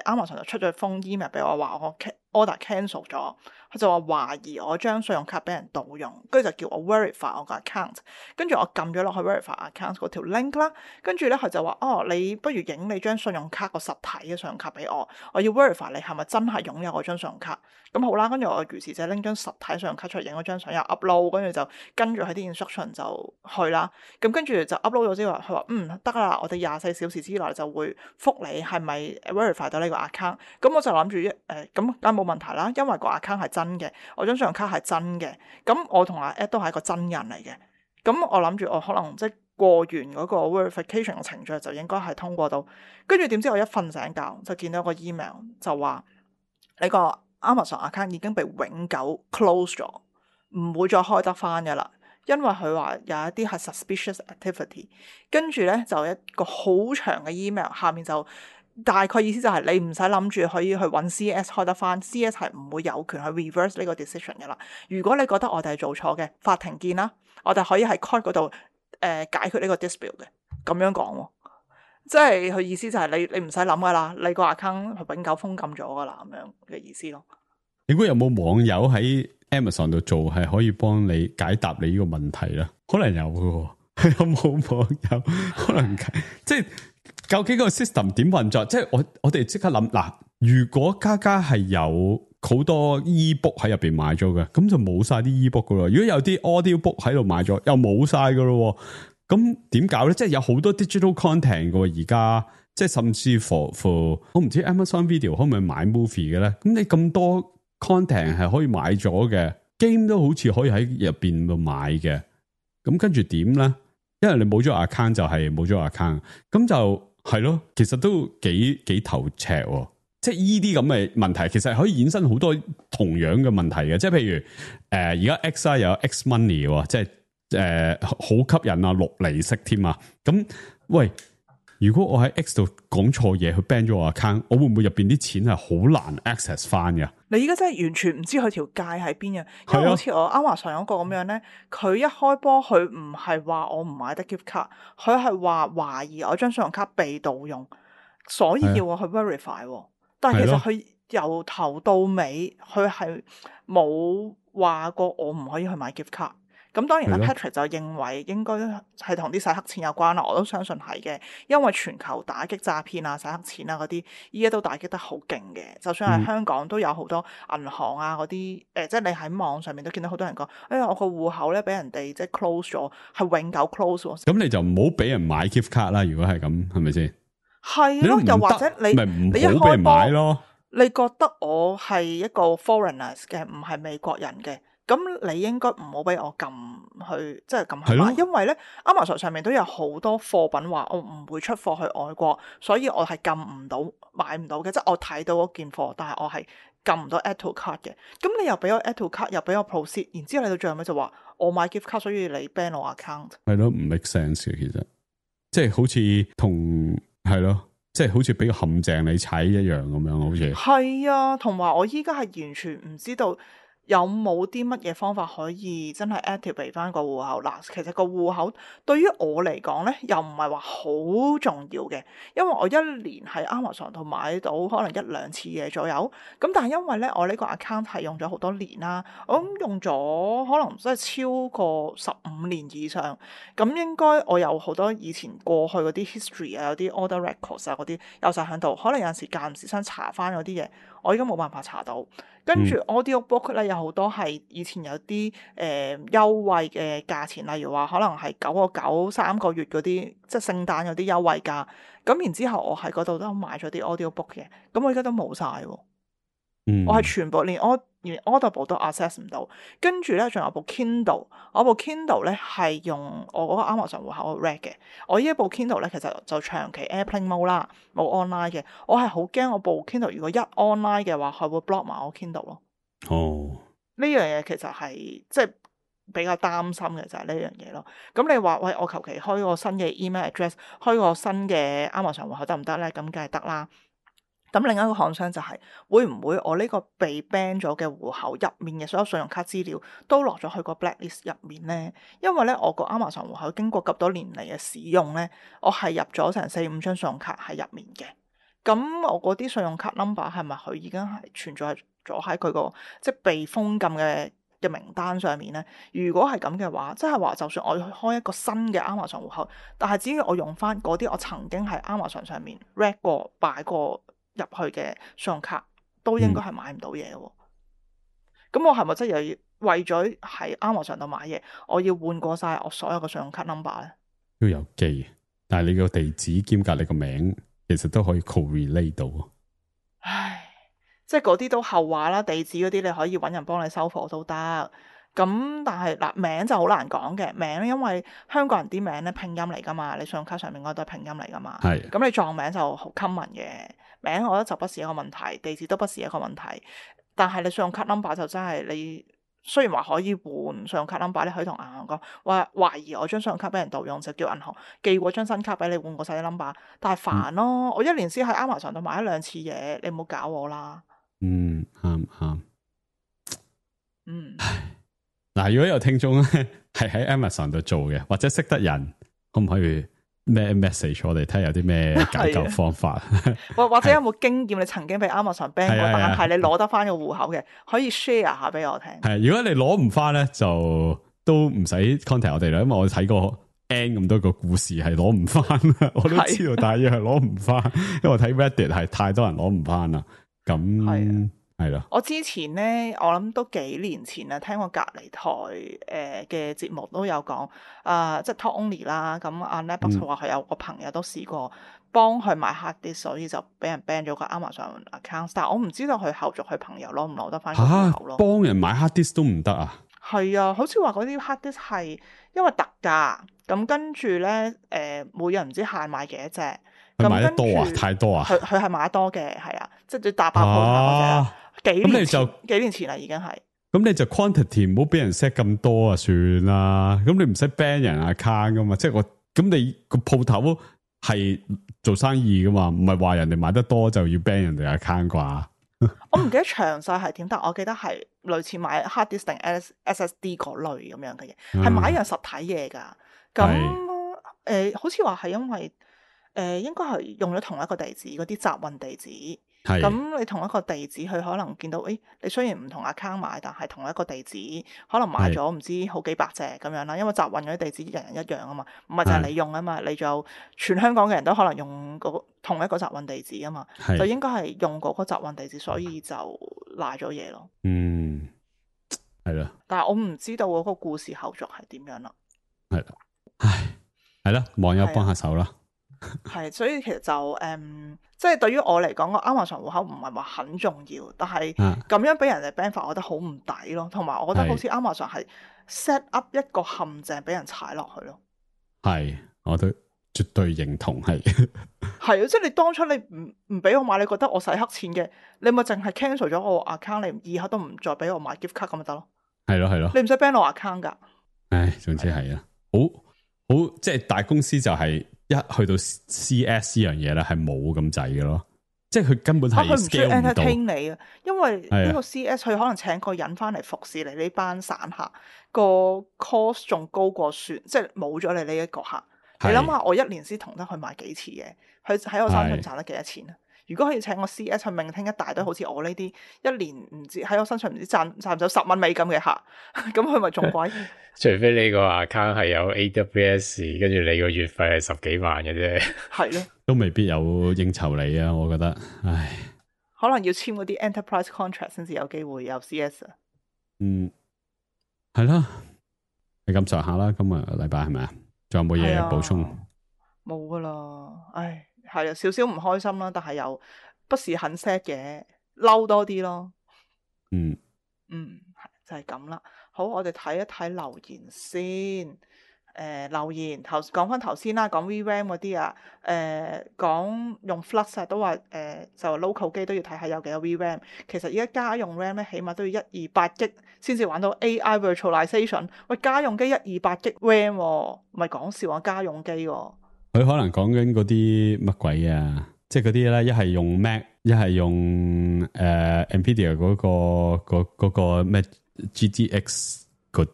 Amazon 就出咗封 email 俾我，話我 order cancel 咗，佢就話懷疑我張信用卡俾人盜用，跟住就叫我 verify 我個 account， 跟住我撳咗落去 verify account 嗰條 link 啦，跟住咧佢就話你不如影你張信用卡個實體嘅信用卡俾我要 verify 你係咪真係擁有嗰張信用卡，咁好啦，跟住我如是者拎張實體信用卡出嚟影嗰張相又 upload， 跟住就跟住喺啲 instruction 就去啦，咁跟住就 upload 咗之後，佢話得啦，我哋24小時之內就會覆你係咪 verify 到呢個 account， 咁我就諗住咁梗係冇問題啦，因為個 account 係真嘅，我張信用卡係真嘅，咁我同阿 Ed 都係一個真人嚟嘅，咁我諗住我可能即係過完嗰個 verification 嘅程序就應該係通過到，跟住點知我一瞓醒覺就見到個 email 就話你個 Amazon account 已經被永久 close 咗，唔會再開得翻嘅啦，因為佢話有一啲係 suspicious activity， 跟住咧就一個好長嘅 email， 下面就大概意思就係你唔使諗住可以去揾 CS 開得翻，CS 係唔會有權去 reverse 呢個 decision 嘅啦。如果你覺得我哋係做錯嘅，法庭見啦，我哋可以喺 court 嗰度解決呢個 dispute 嘅，咁樣講喎。即係佢意思就係你唔使諗噶啦，你個 account 係永久封禁咗噶啦，咁樣嘅意思咯。你估有冇網友喺 Amazon 度做係可以幫你解答你呢個問題咧？可能有嘅，有冇網友可能即係究竟個 system 點運作？即係我哋即刻諗嗱，如果家家係有好多 ebook 喺入邊買咗嘅，咁就冇晒啲 ebook 噶咯。如果有啲 audio book 喺度買咗，又冇晒噶咯。咁點搞咧？即係有好多 digital content 嘅而家，即係甚至乎我唔知 Amazon Video 可唔可以買 movie 嘅咧？咁你咁多 content 係可以買咗嘅 game 都好似可以喺入邊度買嘅。咁跟住點咧？因為你冇咗 account 就係冇咗 account， 咁就係咯。其實都幾頭赤喎。即係依啲咁嘅問題，其實可以衍生好多同樣嘅問題嘅。即係譬如而家 X 又有 X money 喎，即係。好吸引啊，6厘息添啊！咁喂，如果我喺 X 度講錯嘢，去 ban 咗我 account， 我會唔會入邊啲錢係好難 access 翻㗎？你而家真係完全唔知佢條界喺邊啊！因為好似我Amazon嗰個咁樣咧，佢一開波佢唔係話我唔買得 gift card，佢係話懷疑我張信用卡被盜用，所以要我去 verify。但係其實佢由頭到尾，佢係冇話過我唔可以去買 gift card。咁當然啦 ，Patrick 就認為應該係同啲洗黑錢有關啦，我都相信係嘅，因為全球打擊詐騙啊、洗黑錢啊嗰啲，依家都打擊得好勁嘅。就算係香港都有好多銀行啊嗰啲，即係你喺網上面都見到好多人講，哎呀，我個戶口咧俾人哋即係 close 咗，係永久 close 喎。咁你就唔好俾人買 gift card 啦。如果係咁，係咪先？係咯，又或者你一好俾人買咯，你覺得我係一個 foreigners 嘅，唔係美國人嘅。咁你應該唔好俾我撳去，即係撳去買，因為咧 Amazon 上面都有好多貨品話我唔會出貨去外國，所以我係撳唔到買唔到嘅，即係我睇到嗰件貨，但係我係撳唔到 add to cart 嘅。咁你又俾我 add to cart，又俾我 proceed，然之後你到最後尾就話我買 gift card，所以你 ban 我 account。係咯，唔 make sense 嘅，其實即係好似同係咯，即係好似俾個陷阱你踩一樣咁樣，好似係啊，同埋我依家係完全唔知道。有冇啲乜嘢方法可以真係 activate 翻個戶口？嗱，其實個戶口對於我嚟講咧，又唔係話好重要嘅，因為我一年喺 Amazon 度買到可能1-2次嘢左右。咁但係因為咧，我呢個 account 係用咗好多年啦，我諗用咗可能真係超過15年以上。咁應該我有好多以前過去嗰啲 history 啊，有啲 order records 啊嗰啲有晒喺度。可能有陣時間唔時想查翻嗰啲嘢，我而家冇辦法查到。跟住 audio book 咧，有好多係以前有啲優惠嘅價錢，例如話可能係9.9 3個月嗰啲，即係聖誕有啲優惠價。咁然之後我喺嗰度都買咗啲 audio book 嘅，咁我而家都冇晒喎。我係全部連 Audible 都 access 唔到。跟住咧仲有部 Kindle， 我部 Kindle 咧係用我嗰個 Amazon 戶口 read 嘅。我呢一部 Kindle 咧其實就長期 airplane mode 啦，冇 online 嘅。我係好驚我部 Kindle 如果一 online 嘅話，佢會 block 埋我 Kindle 咯。哦，呢樣嘢其實係即係比較擔心嘅就係呢樣嘢咯。咁你話喂，我求其開個新嘅 email address， 開個新嘅 Amazon 戶口得唔得咧？咁梗係得啦。咁另一個 concern 就係會唔會我呢個被 ban 咗嘅戶口入面嘅所有信用卡資料都落咗去個 blacklist 入面咧？因為咧我個 Amazon 戶口經過咁多年嚟嘅使用咧，我係入咗成4-5張信用卡喺入面嘅。咁我嗰啲信用卡 number 係咪佢已經係存在咗喺佢個即係被封禁嘅名單上面咧？如果係咁嘅話，即係話就算我去開一個新嘅 Amazon 戶口，但係只要我用翻嗰啲我曾經喺 Amazon 上面 read 過擺過入去嘅信用卡，都應該係買唔到嘢喎。咁我係咪真係又要為咗喺 Amazon 度買嘢，我要換過晒我所有嘅信用卡 number 咧？都有機，但係你個地址兼隔你個名，其實都可以 correlate 到。唉，即係嗰啲都後話啦，地址嗰啲你可以揾人幫你收貨都得。咁但係嗱，名就好難講嘅名，因為香港人啲名咧拼音嚟噶嘛，你信用卡上面嗰都係拼音嚟噶嘛。係。咁你撞名就好 common 嘅。名我覺得就不是一個問題，地址都不是一個問題，但係你信用卡 number 就真係你雖然話可以換信用卡 number，你可以同銀行講話懷疑我張信用卡俾人盜用，就叫銀行寄過張新卡俾你換過晒啲 number， 但係煩咯，我一年先喺 Amazon 度買1-2次嘢，你唔好搞我啦。啱。嗯，嗱，如果有聽眾咧係喺 Amazon 度做嘅，或者識得人，可唔可以咩 message 我哋睇下有啲咩解救方法？或者有冇經驗？你曾經俾 Amazon ban 過，但係你攞得翻個戶口嘅，可以 share 下俾我聽。係，如果你攞唔翻咧，就都唔使 contact 我哋啦，因為我睇過 N 咁多個故事係攞唔翻，我都知道大約係攞唔翻，因為我睇 Reddit 係太多人攞唔翻啦。咁係咯。我之前咧，我諗都幾年前啦，聽過隔離台嘅節目都有講，即係 Talk Only 啦。咁阿 Netbox 話佢有個朋友都試過幫佢買 hard disk，所以就俾人 ban 咗個 Amazon account。但係我唔知道佢後續佢朋友攞唔攞得翻個戶口咯。幫人買 hard disk 都唔得啊？係啊，好似話嗰啲 hard disk 係因為特價，咁跟住咧每人唔知限買幾多隻。佢買得多啊？太多啊？佢係買得多嘅，係啊，即係打爆鋪嗰隻。幾年前啦，已經係。咁你就 quantity 唔好俾人 set 咁多啊，算啦。咁你唔使 ban 人 account 噶嘛，即係咁你個鋪頭係做生意噶嘛，唔係話人哋買得多就要 ban 人哋 account 啩？我唔記得詳細係點，但我記得係類似買 hard disk 定 SSD 嗰類咁樣嘅嘢，係買一樣實體嘢噶。咁好似話係因為應該係用咗同一個地址，嗰啲集運地址。咁你同一個地址，佢可能見到，你雖然唔同 account 買，但係同一個地址，可能買咗唔知好幾百隻咁樣啦。因為集運嗰啲地址人人一樣啊嘛，唔係就係你用啊嘛，你仲有全香港嘅人都可能用同一個集運地址啊嘛，就應該係用嗰個集運地址，所以就賴咗嘢咯。係啦。但係我唔知道嗰個故事後續係點樣啦。係啦，係啦，網友幫下手啦。係，所以其實就即係對於我嚟講，個 Amazon 戶口唔係話很重要，但係咁樣俾人哋 ban 法，我覺得好唔抵咯。同埋我覺得好似 Amazon 係 set up 一個陷阱俾人踩落去咯。係，我都絕對認同係。係啊，即係你當初你唔俾我買，你覺得我使黑錢嘅，你咪淨係 cancel 咗我 account，你以後都唔再俾我買 gift card 咁咪得咯。係咯，你唔使 ban 我 account 噶。唉，總之係啊，好，即係大公司就係。一去到 CS 呢樣嘢咧，係冇咁滯嘅咯，即係佢根本係 scale 唔到。佢唔需要 entertain 你啊，因為呢個 CS 佢可能請個人翻嚟服侍你呢班散客，個 cost 仲高過算，即係冇咗你呢一個客。你諗下，我一年先同得佢買幾次嘢，佢喺我身上賺得幾多錢啊？如果可以請個 CS 去命聽一大堆好似我呢啲一年唔知喺我身上唔知賺唔到10蚊美金嘅客，咁佢咪仲貴？除非你個 account 係有 AWS， 跟住你個月費係10幾萬嘅啫，係咯，都未必有應酬你啊！我覺得，唉，可能要簽嗰啲 enterprise contract 先至有機會有 CS 啊。係啦，係咁上下啦。今個禮拜係咪啊？仲有冇嘢補充？冇噶啦，唉。係啊，少少唔開心啦，但係又不是很 sad 嘅，嬲多啲咯。就係咁啦。好，我哋睇一睇留言先。留言講翻頭先啦，講 VRAM 嗰啲啊，講用 Flux 都話就 local 機都要睇下有幾多 VRAM。其實而家家用 RAM 咧，起碼都要128GB 先至玩到 AI virtualization。喂，家用機128GB RAM 唔係講笑啊，家用機喎。佢可能講緊嗰啲乜鬼啊，即係嗰啲咧，一係用 Mac， 一係用Nvidia 嗰個咩 GTX 嗰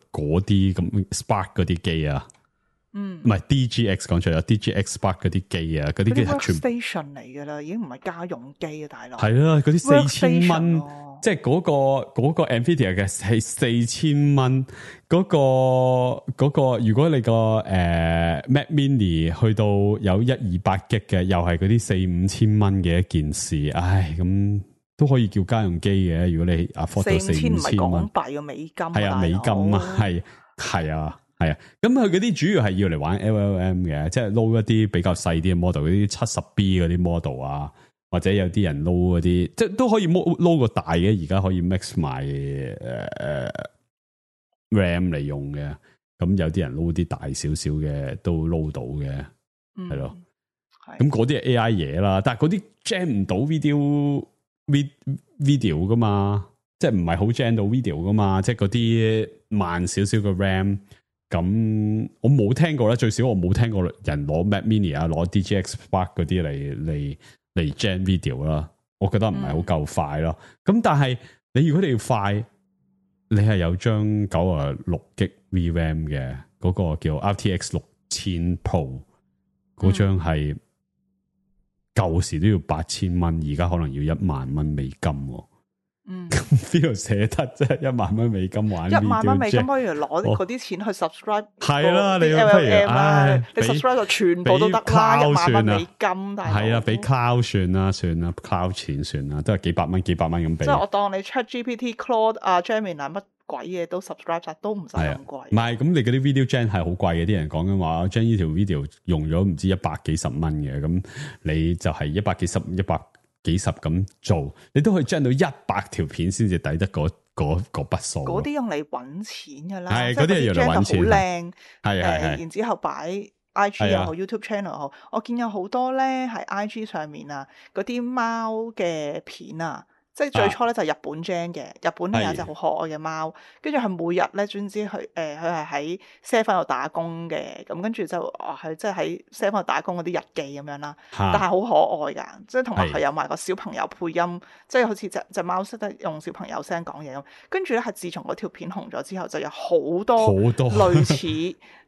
啲咁 Spark 嗰啲機啊，唔係 DGX 講錯咗 DGX Spark 嗰啲機啊，嗰啲機係全 workstation 嚟噶啦，已經唔係家用機啊，大佬。係啊，嗰啲4000蚊，即係嗰個 Nvidia 嘅係4000蚊，嗰個如果你個Mac Mini 去到有128GB嘅，又係嗰啲4-5千蚊嘅一件事，唉，咁都可以叫家用機嘅。如果你 afford 到4-5千蚊，唔係港幣嘅美金，係啊，美金啊，係啊。係啊，咁佢嗰啲主要係要嚟玩 LLM 嘅，即係撈一啲比較細啲嘅 model，嗰啲70B 嗰啲 model 啊，或者有啲人撈嗰啲，即係都可以撈個大嘅，而家可以 mix 埋RAM 嚟用嘅。咁有啲人撈啲大少少嘅都撈到嘅，係咯。咁嗰啲係 AI 嘢啦，但係嗰啲 jam 唔到 video 噶嘛。即係唔係好 gen 到 video 噶嘛，即係嗰啲慢少少嘅 RAM。咁我冇聽過咧，最少我冇聽過人攞 Mac Mini 啊，攞 DGX Spark 嗰啲嚟 gen video 啦。我覺得唔係好夠快咯。咁但係如果你要快，你係有張96GB VRAM 嘅嗰個叫 RTX 6000 Pro 嗰張係舊時都要8000蚊，而家可能要10000蚊美金。邊度捨得啫？10000蚊美金玩10000蚊美金，不如攞嗰啲錢去 subscribe 係啦，你不如唉，你 subscribe 就全部都得啦，10000蚊美金，但係啦，俾 cloud 算啦，cloud 錢算啦，都係幾百蚊咁俾。即係我當你 ChatGPT、Claude 啊、Gemini 乜鬼嘢都 subscribe 晒，都唔使咁貴。唔係，咁你嗰啲 video gen 係好貴嘅，啲人講緊話將呢條 video 用咗唔知100幾十蚊嘅，咁你就係100幾十咁做，你都可以將到100條片先至抵得嗰筆數。嗰啲用嚟揾錢噶啦，係嗰啲係用嚟揾錢，好靚，係然之後擺 IG 又好 YouTube channel 又好，我見有好多咧喺 IG 上面啊，嗰啲貓嘅片啊。即係最初咧就係日本 gen 嘅，日本咧有隻好可愛嘅貓，跟住佢每日咧總之佢佢係喺 7-Eleven 度打工嘅，咁跟住就佢即係喺 7-Eleven 度打工嗰啲日記咁樣啦，但係好可愛噶，即係同埋佢有埋個小朋友配音，即係好似隻貓識得用小朋友聲講嘢咁，跟住咧係自從嗰條片紅咗之後，就有好多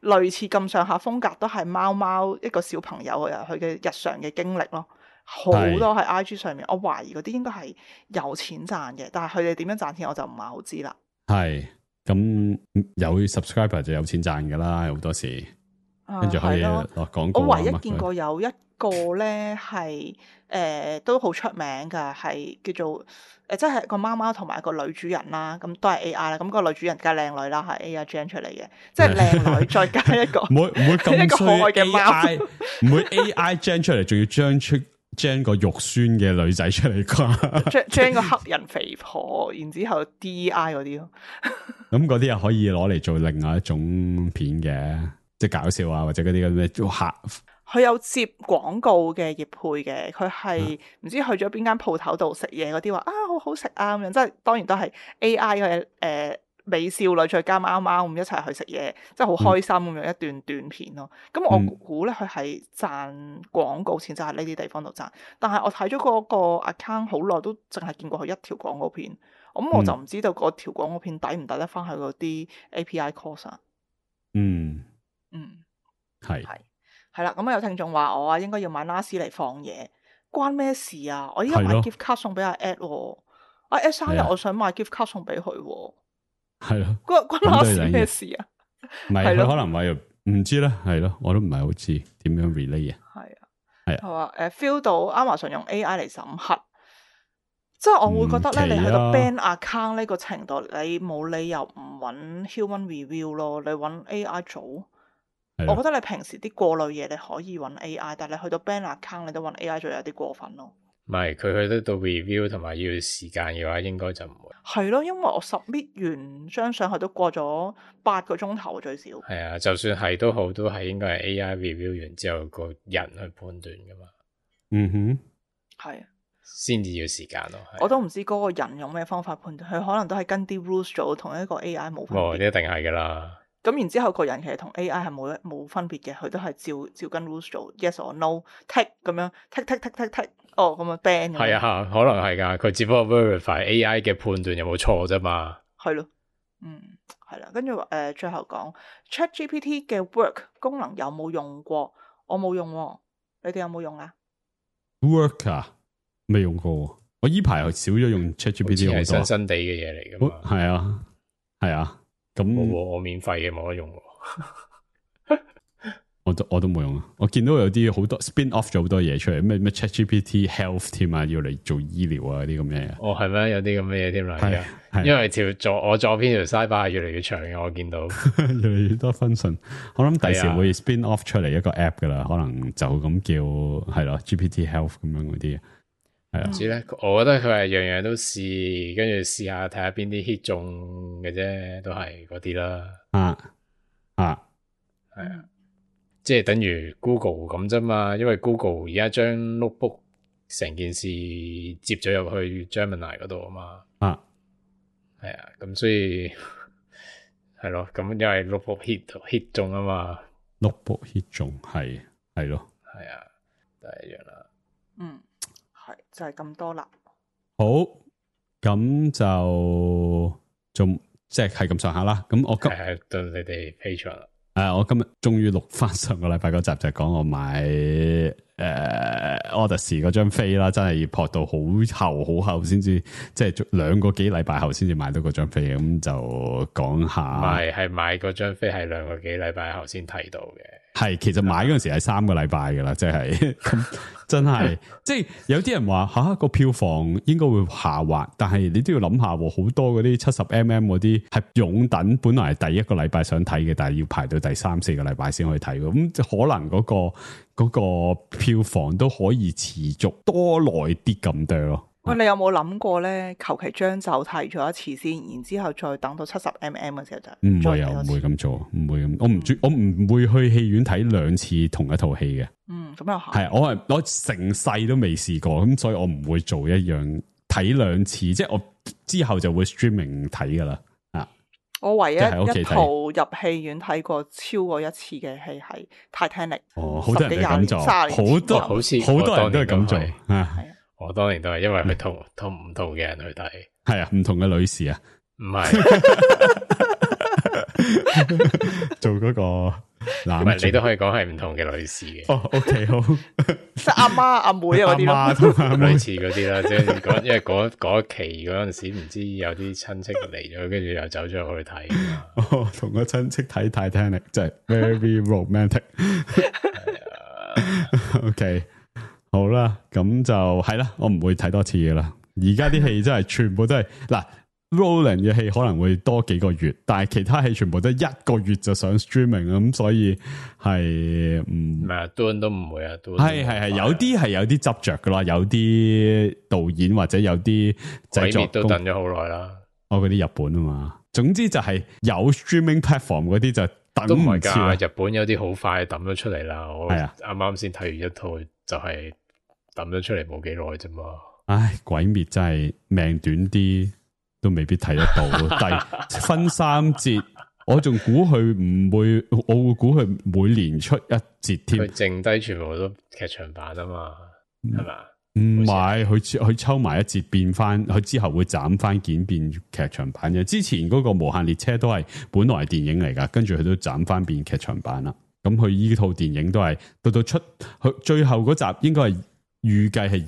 類似咁上下風格，都係貓一個小朋友佢嘅日常嘅經歷咯。好多喺 IG 上面，我懷疑嗰啲應該係有錢賺嘅，但係佢哋點樣賺錢我就唔係好知啦。係咁有 subscriber 就有錢賺噶啦，好多時跟住可以落廣告。我唯一見過有一個咧係都好出名噶，係叫做即係個貓貓同埋個女主人啦，咁都係 AI 啦，咁個女主人梗係靚女啦，係 AI gen 出嚟嘅，即係靚女再加一個唔會咁一個可愛嘅貓，唔會 AI gen 出嚟，仲要將個肉酸嘅女仔出嚟啩？將個黑人肥婆，然之後 DEI 嗰啲咯。咁嗰啲又可以攞嚟做另外一種片嘅，即係搞笑啊，或者嗰啲咁咩做客。佢有接廣告嘅業配嘅，佢係唔知去咗邊間鋪頭度食嘢嗰啲話啊好好食啊咁樣，即係當然都係 AI 嘅美少女再加貓貓咁一齊去食嘢，即係好開心咁樣一段短片咯。咁我估咧佢係賺廣告錢，就喺呢啲地方度賺。但係我睇咗嗰個 account 好耐，都淨係見過佢一條廣告片。咁我就唔知道嗰條廣告片抵唔抵得翻去嗰啲 API cost 啊。係啦。咁有聽眾話我應該要買 NAS 嚟放嘢，關咩事啊？我依家買 gift card 送俾阿 Ed，阿 Ed 生日我想買 gift card 送俾佢。係咯，關 NAS 咩事啊？唔係佢可能話唔知啦，係咯，我都唔係好知點樣 relay 啊。係佢話feel 到 Amazon 用 AI 嚟審核，即係我會覺得咧，你去到 ban account 呢個程度，你冇理由唔揾 human review 咯，你揾 AI 做。我覺得你平時啲過濾嘢你可以揾 AI， 但係你去到 ban account 你都揾 AI 做有啲過分咯。唔係佢去得到 review 同埋要時間嘅話，應該就唔會。係咯，因為我 submit 完張相去都過咗8個鐘頭最少。係啊，就算係都好，都係應該係 AI review 完之後個人去判斷噶嘛。係啊，先至要時間咯。我都唔知嗰個人用咩方法判斷，佢可能都係跟啲 rules 做，同一個 AI 冇分別。一定係噶啦。咁然之後個人其實同 AI 係冇分別嘅，佢都係照跟 rules 做 ，yes or no，tick 咁樣 tick， 哦咁啊 ban 咁樣。係啊，可能係噶，佢只不過 verify AI 嘅判斷有冇錯啫嘛。係咯，係啦，跟住最後講 ChatGPT 嘅 work 功能有冇用過？我冇用喎，你哋有冇用啊 ？work 啊，未用過，我依排少咗用 ChatGPT 好多。係新地嘅嘢嚟噶嘛？係啊。咁我免費嘅冇得用我都冇用啊！我見到有啲好多 spin off 咗好多嘢出嚟，咩 ChatGPT Health 添啊，要嚟做醫療啊啲咁嘅嘢。係咩？有啲咁嘅嘢添啦，因為我左邊條 sidebar 係越嚟越長嘅，我見到越嚟越多 function。我諗第時會 spin off 出嚟一個 app 噶啦，可能就咁叫係咯 GPT Health 咁樣嗰啲。係啊，唔知咧，我覺得佢係樣樣都試，跟住試下睇下邊啲 hit 中嘅啫，都係嗰啲啦。係啊，即係等於 Google 咁啫嘛，因為 Google 而家將 notebook 成件事接咗入去 Gemini 嗰度啊嘛。係啊，咁所以係咯，咁因為 notebook hit 中啊嘛 ，notebook hit 中係咯，係啊，都係一樣啦。係就係咁多啦。好，咁就仲即係咁上下啦。咁我係到你哋 Patreon 啦。我今日終於錄翻上個禮拜嗰集，就係講我買Odyssey 嗰張飛啦，真係要撲到好後先至，即係2個幾禮拜後先至買到嗰張飛。咁就講下，係買嗰張飛係2個幾禮拜後先睇到嘅。係其實買嗰陣時係3個禮拜噶啦，即係咁真係，即係有啲人話個票房應該會下滑，但係你都要諗下，好多嗰啲70mm嗰啲係擁躉，本來係第1個禮拜想睇嘅，但係要排到第3、4個禮拜先可以睇，咁可能嗰個票房都可以持續多耐啲咁多咯。喂，你有冇諗過咧？求其將就睇咗一次先，然之後再等到70mm嘅時候就唔會唔會咁做，唔會咁。我唔會去戲院睇2次同一套戲嘅。咁又係。我成世都未試過，咁所以我唔會做一樣睇2次，即係我之後就會 streaming 睇噶啦。我唯一一套入戲院睇過超過1次嘅戲係 Titanic。好多人都咁做，好多人都係咁做。我當年都係，因為佢同唔同嘅人去睇，係啊，唔同嘅女士啊，唔係做嗰個男，唔係你都可以講係唔同嘅女士嘅。OK 好，即係阿媽阿妹嗰啲咯，類似嗰啲啦，即係因為嗰期嗰陣時唔知有啲親戚嚟咗，跟住又走咗去睇。同個親戚睇 Titanic 真係 very romantic。OK。好啦，咁就係啦，我唔會睇多次嘅啦。而家啲戲真係全部都係嗱 ，Roland 嘅戲可能會多幾個月，但係其他戲全部都1個月就上 streaming 咁，所以係唔係啊 Dune 都唔會啊，係有啲係有啲執着噶啦，有啲導演或者有啲製作都等咗好耐啦。嗰啲日本啊嘛，總之就係有 streaming platform 嗰啲就等唔切。日本有啲好快抌咗出嚟啦，我啱啱先睇完一套就係。抌咗出嚟冇幾耐啫嘛，唉，鬼滅真係命短啲都未必睇得到，但係分3節，我仲估佢唔會，我會估佢每年出1節添，佢剩低全部都劇場版啊嘛，係嘛？唔係，佢抽埋1節變翻，佢之後會斬翻件變劇場版嘅。之前嗰個無限列車都係本來係電影嚟噶，跟住佢都斬翻變劇場版啦。咁佢依套電影都係到出佢最後嗰集應該係。預計係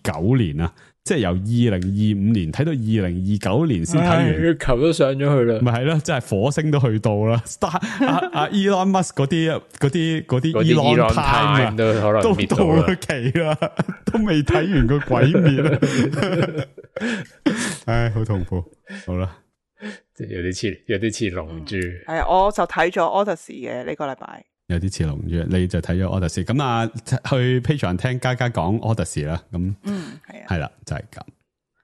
2029年啊，即係由2025年睇到2029年先睇完，月球都上咗去啦，咪係咯，即係火星都去到啦。Elon Musk 嗰啲 Elon Time 啊，都可能都到期啦，都未睇完個鬼滅，唉，好痛苦。好啦，即係有啲似龍珠。係啊，我就睇咗 Odyssey 嘅呢個禮拜。有啲似龍珠，你就睇咗 Odyssey，咁啊去 Patreon 聽嘉嘉講 Odyssey 啦，咁係啦，就係咁。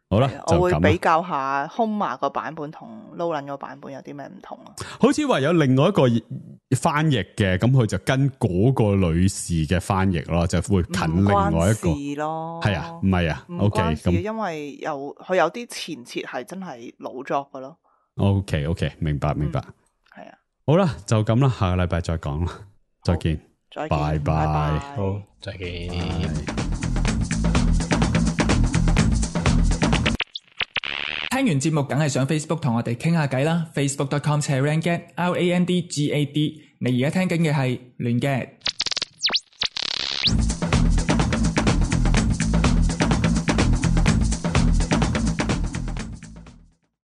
好啦，我會比較下 Homa 個版本同 Nolan 個版本有啲咩唔同啊？好似話有另外一個翻譯嘅，咁佢就跟嗰個女士嘅翻譯咯，就會近另外一個咯。係啊，唔係啊 ，OK 咁，因為佢有啲前設係真係老作噶咯。OK，明白。係啊，好啦，就咁啦，下個禮拜再講啦。再見，拜拜，好，再見。聽完節目梗係上 Facebook 同我哋傾下偈啦 ，Facebook.com/randgad，RANDGAD。你而家聽緊嘅係亂 gad。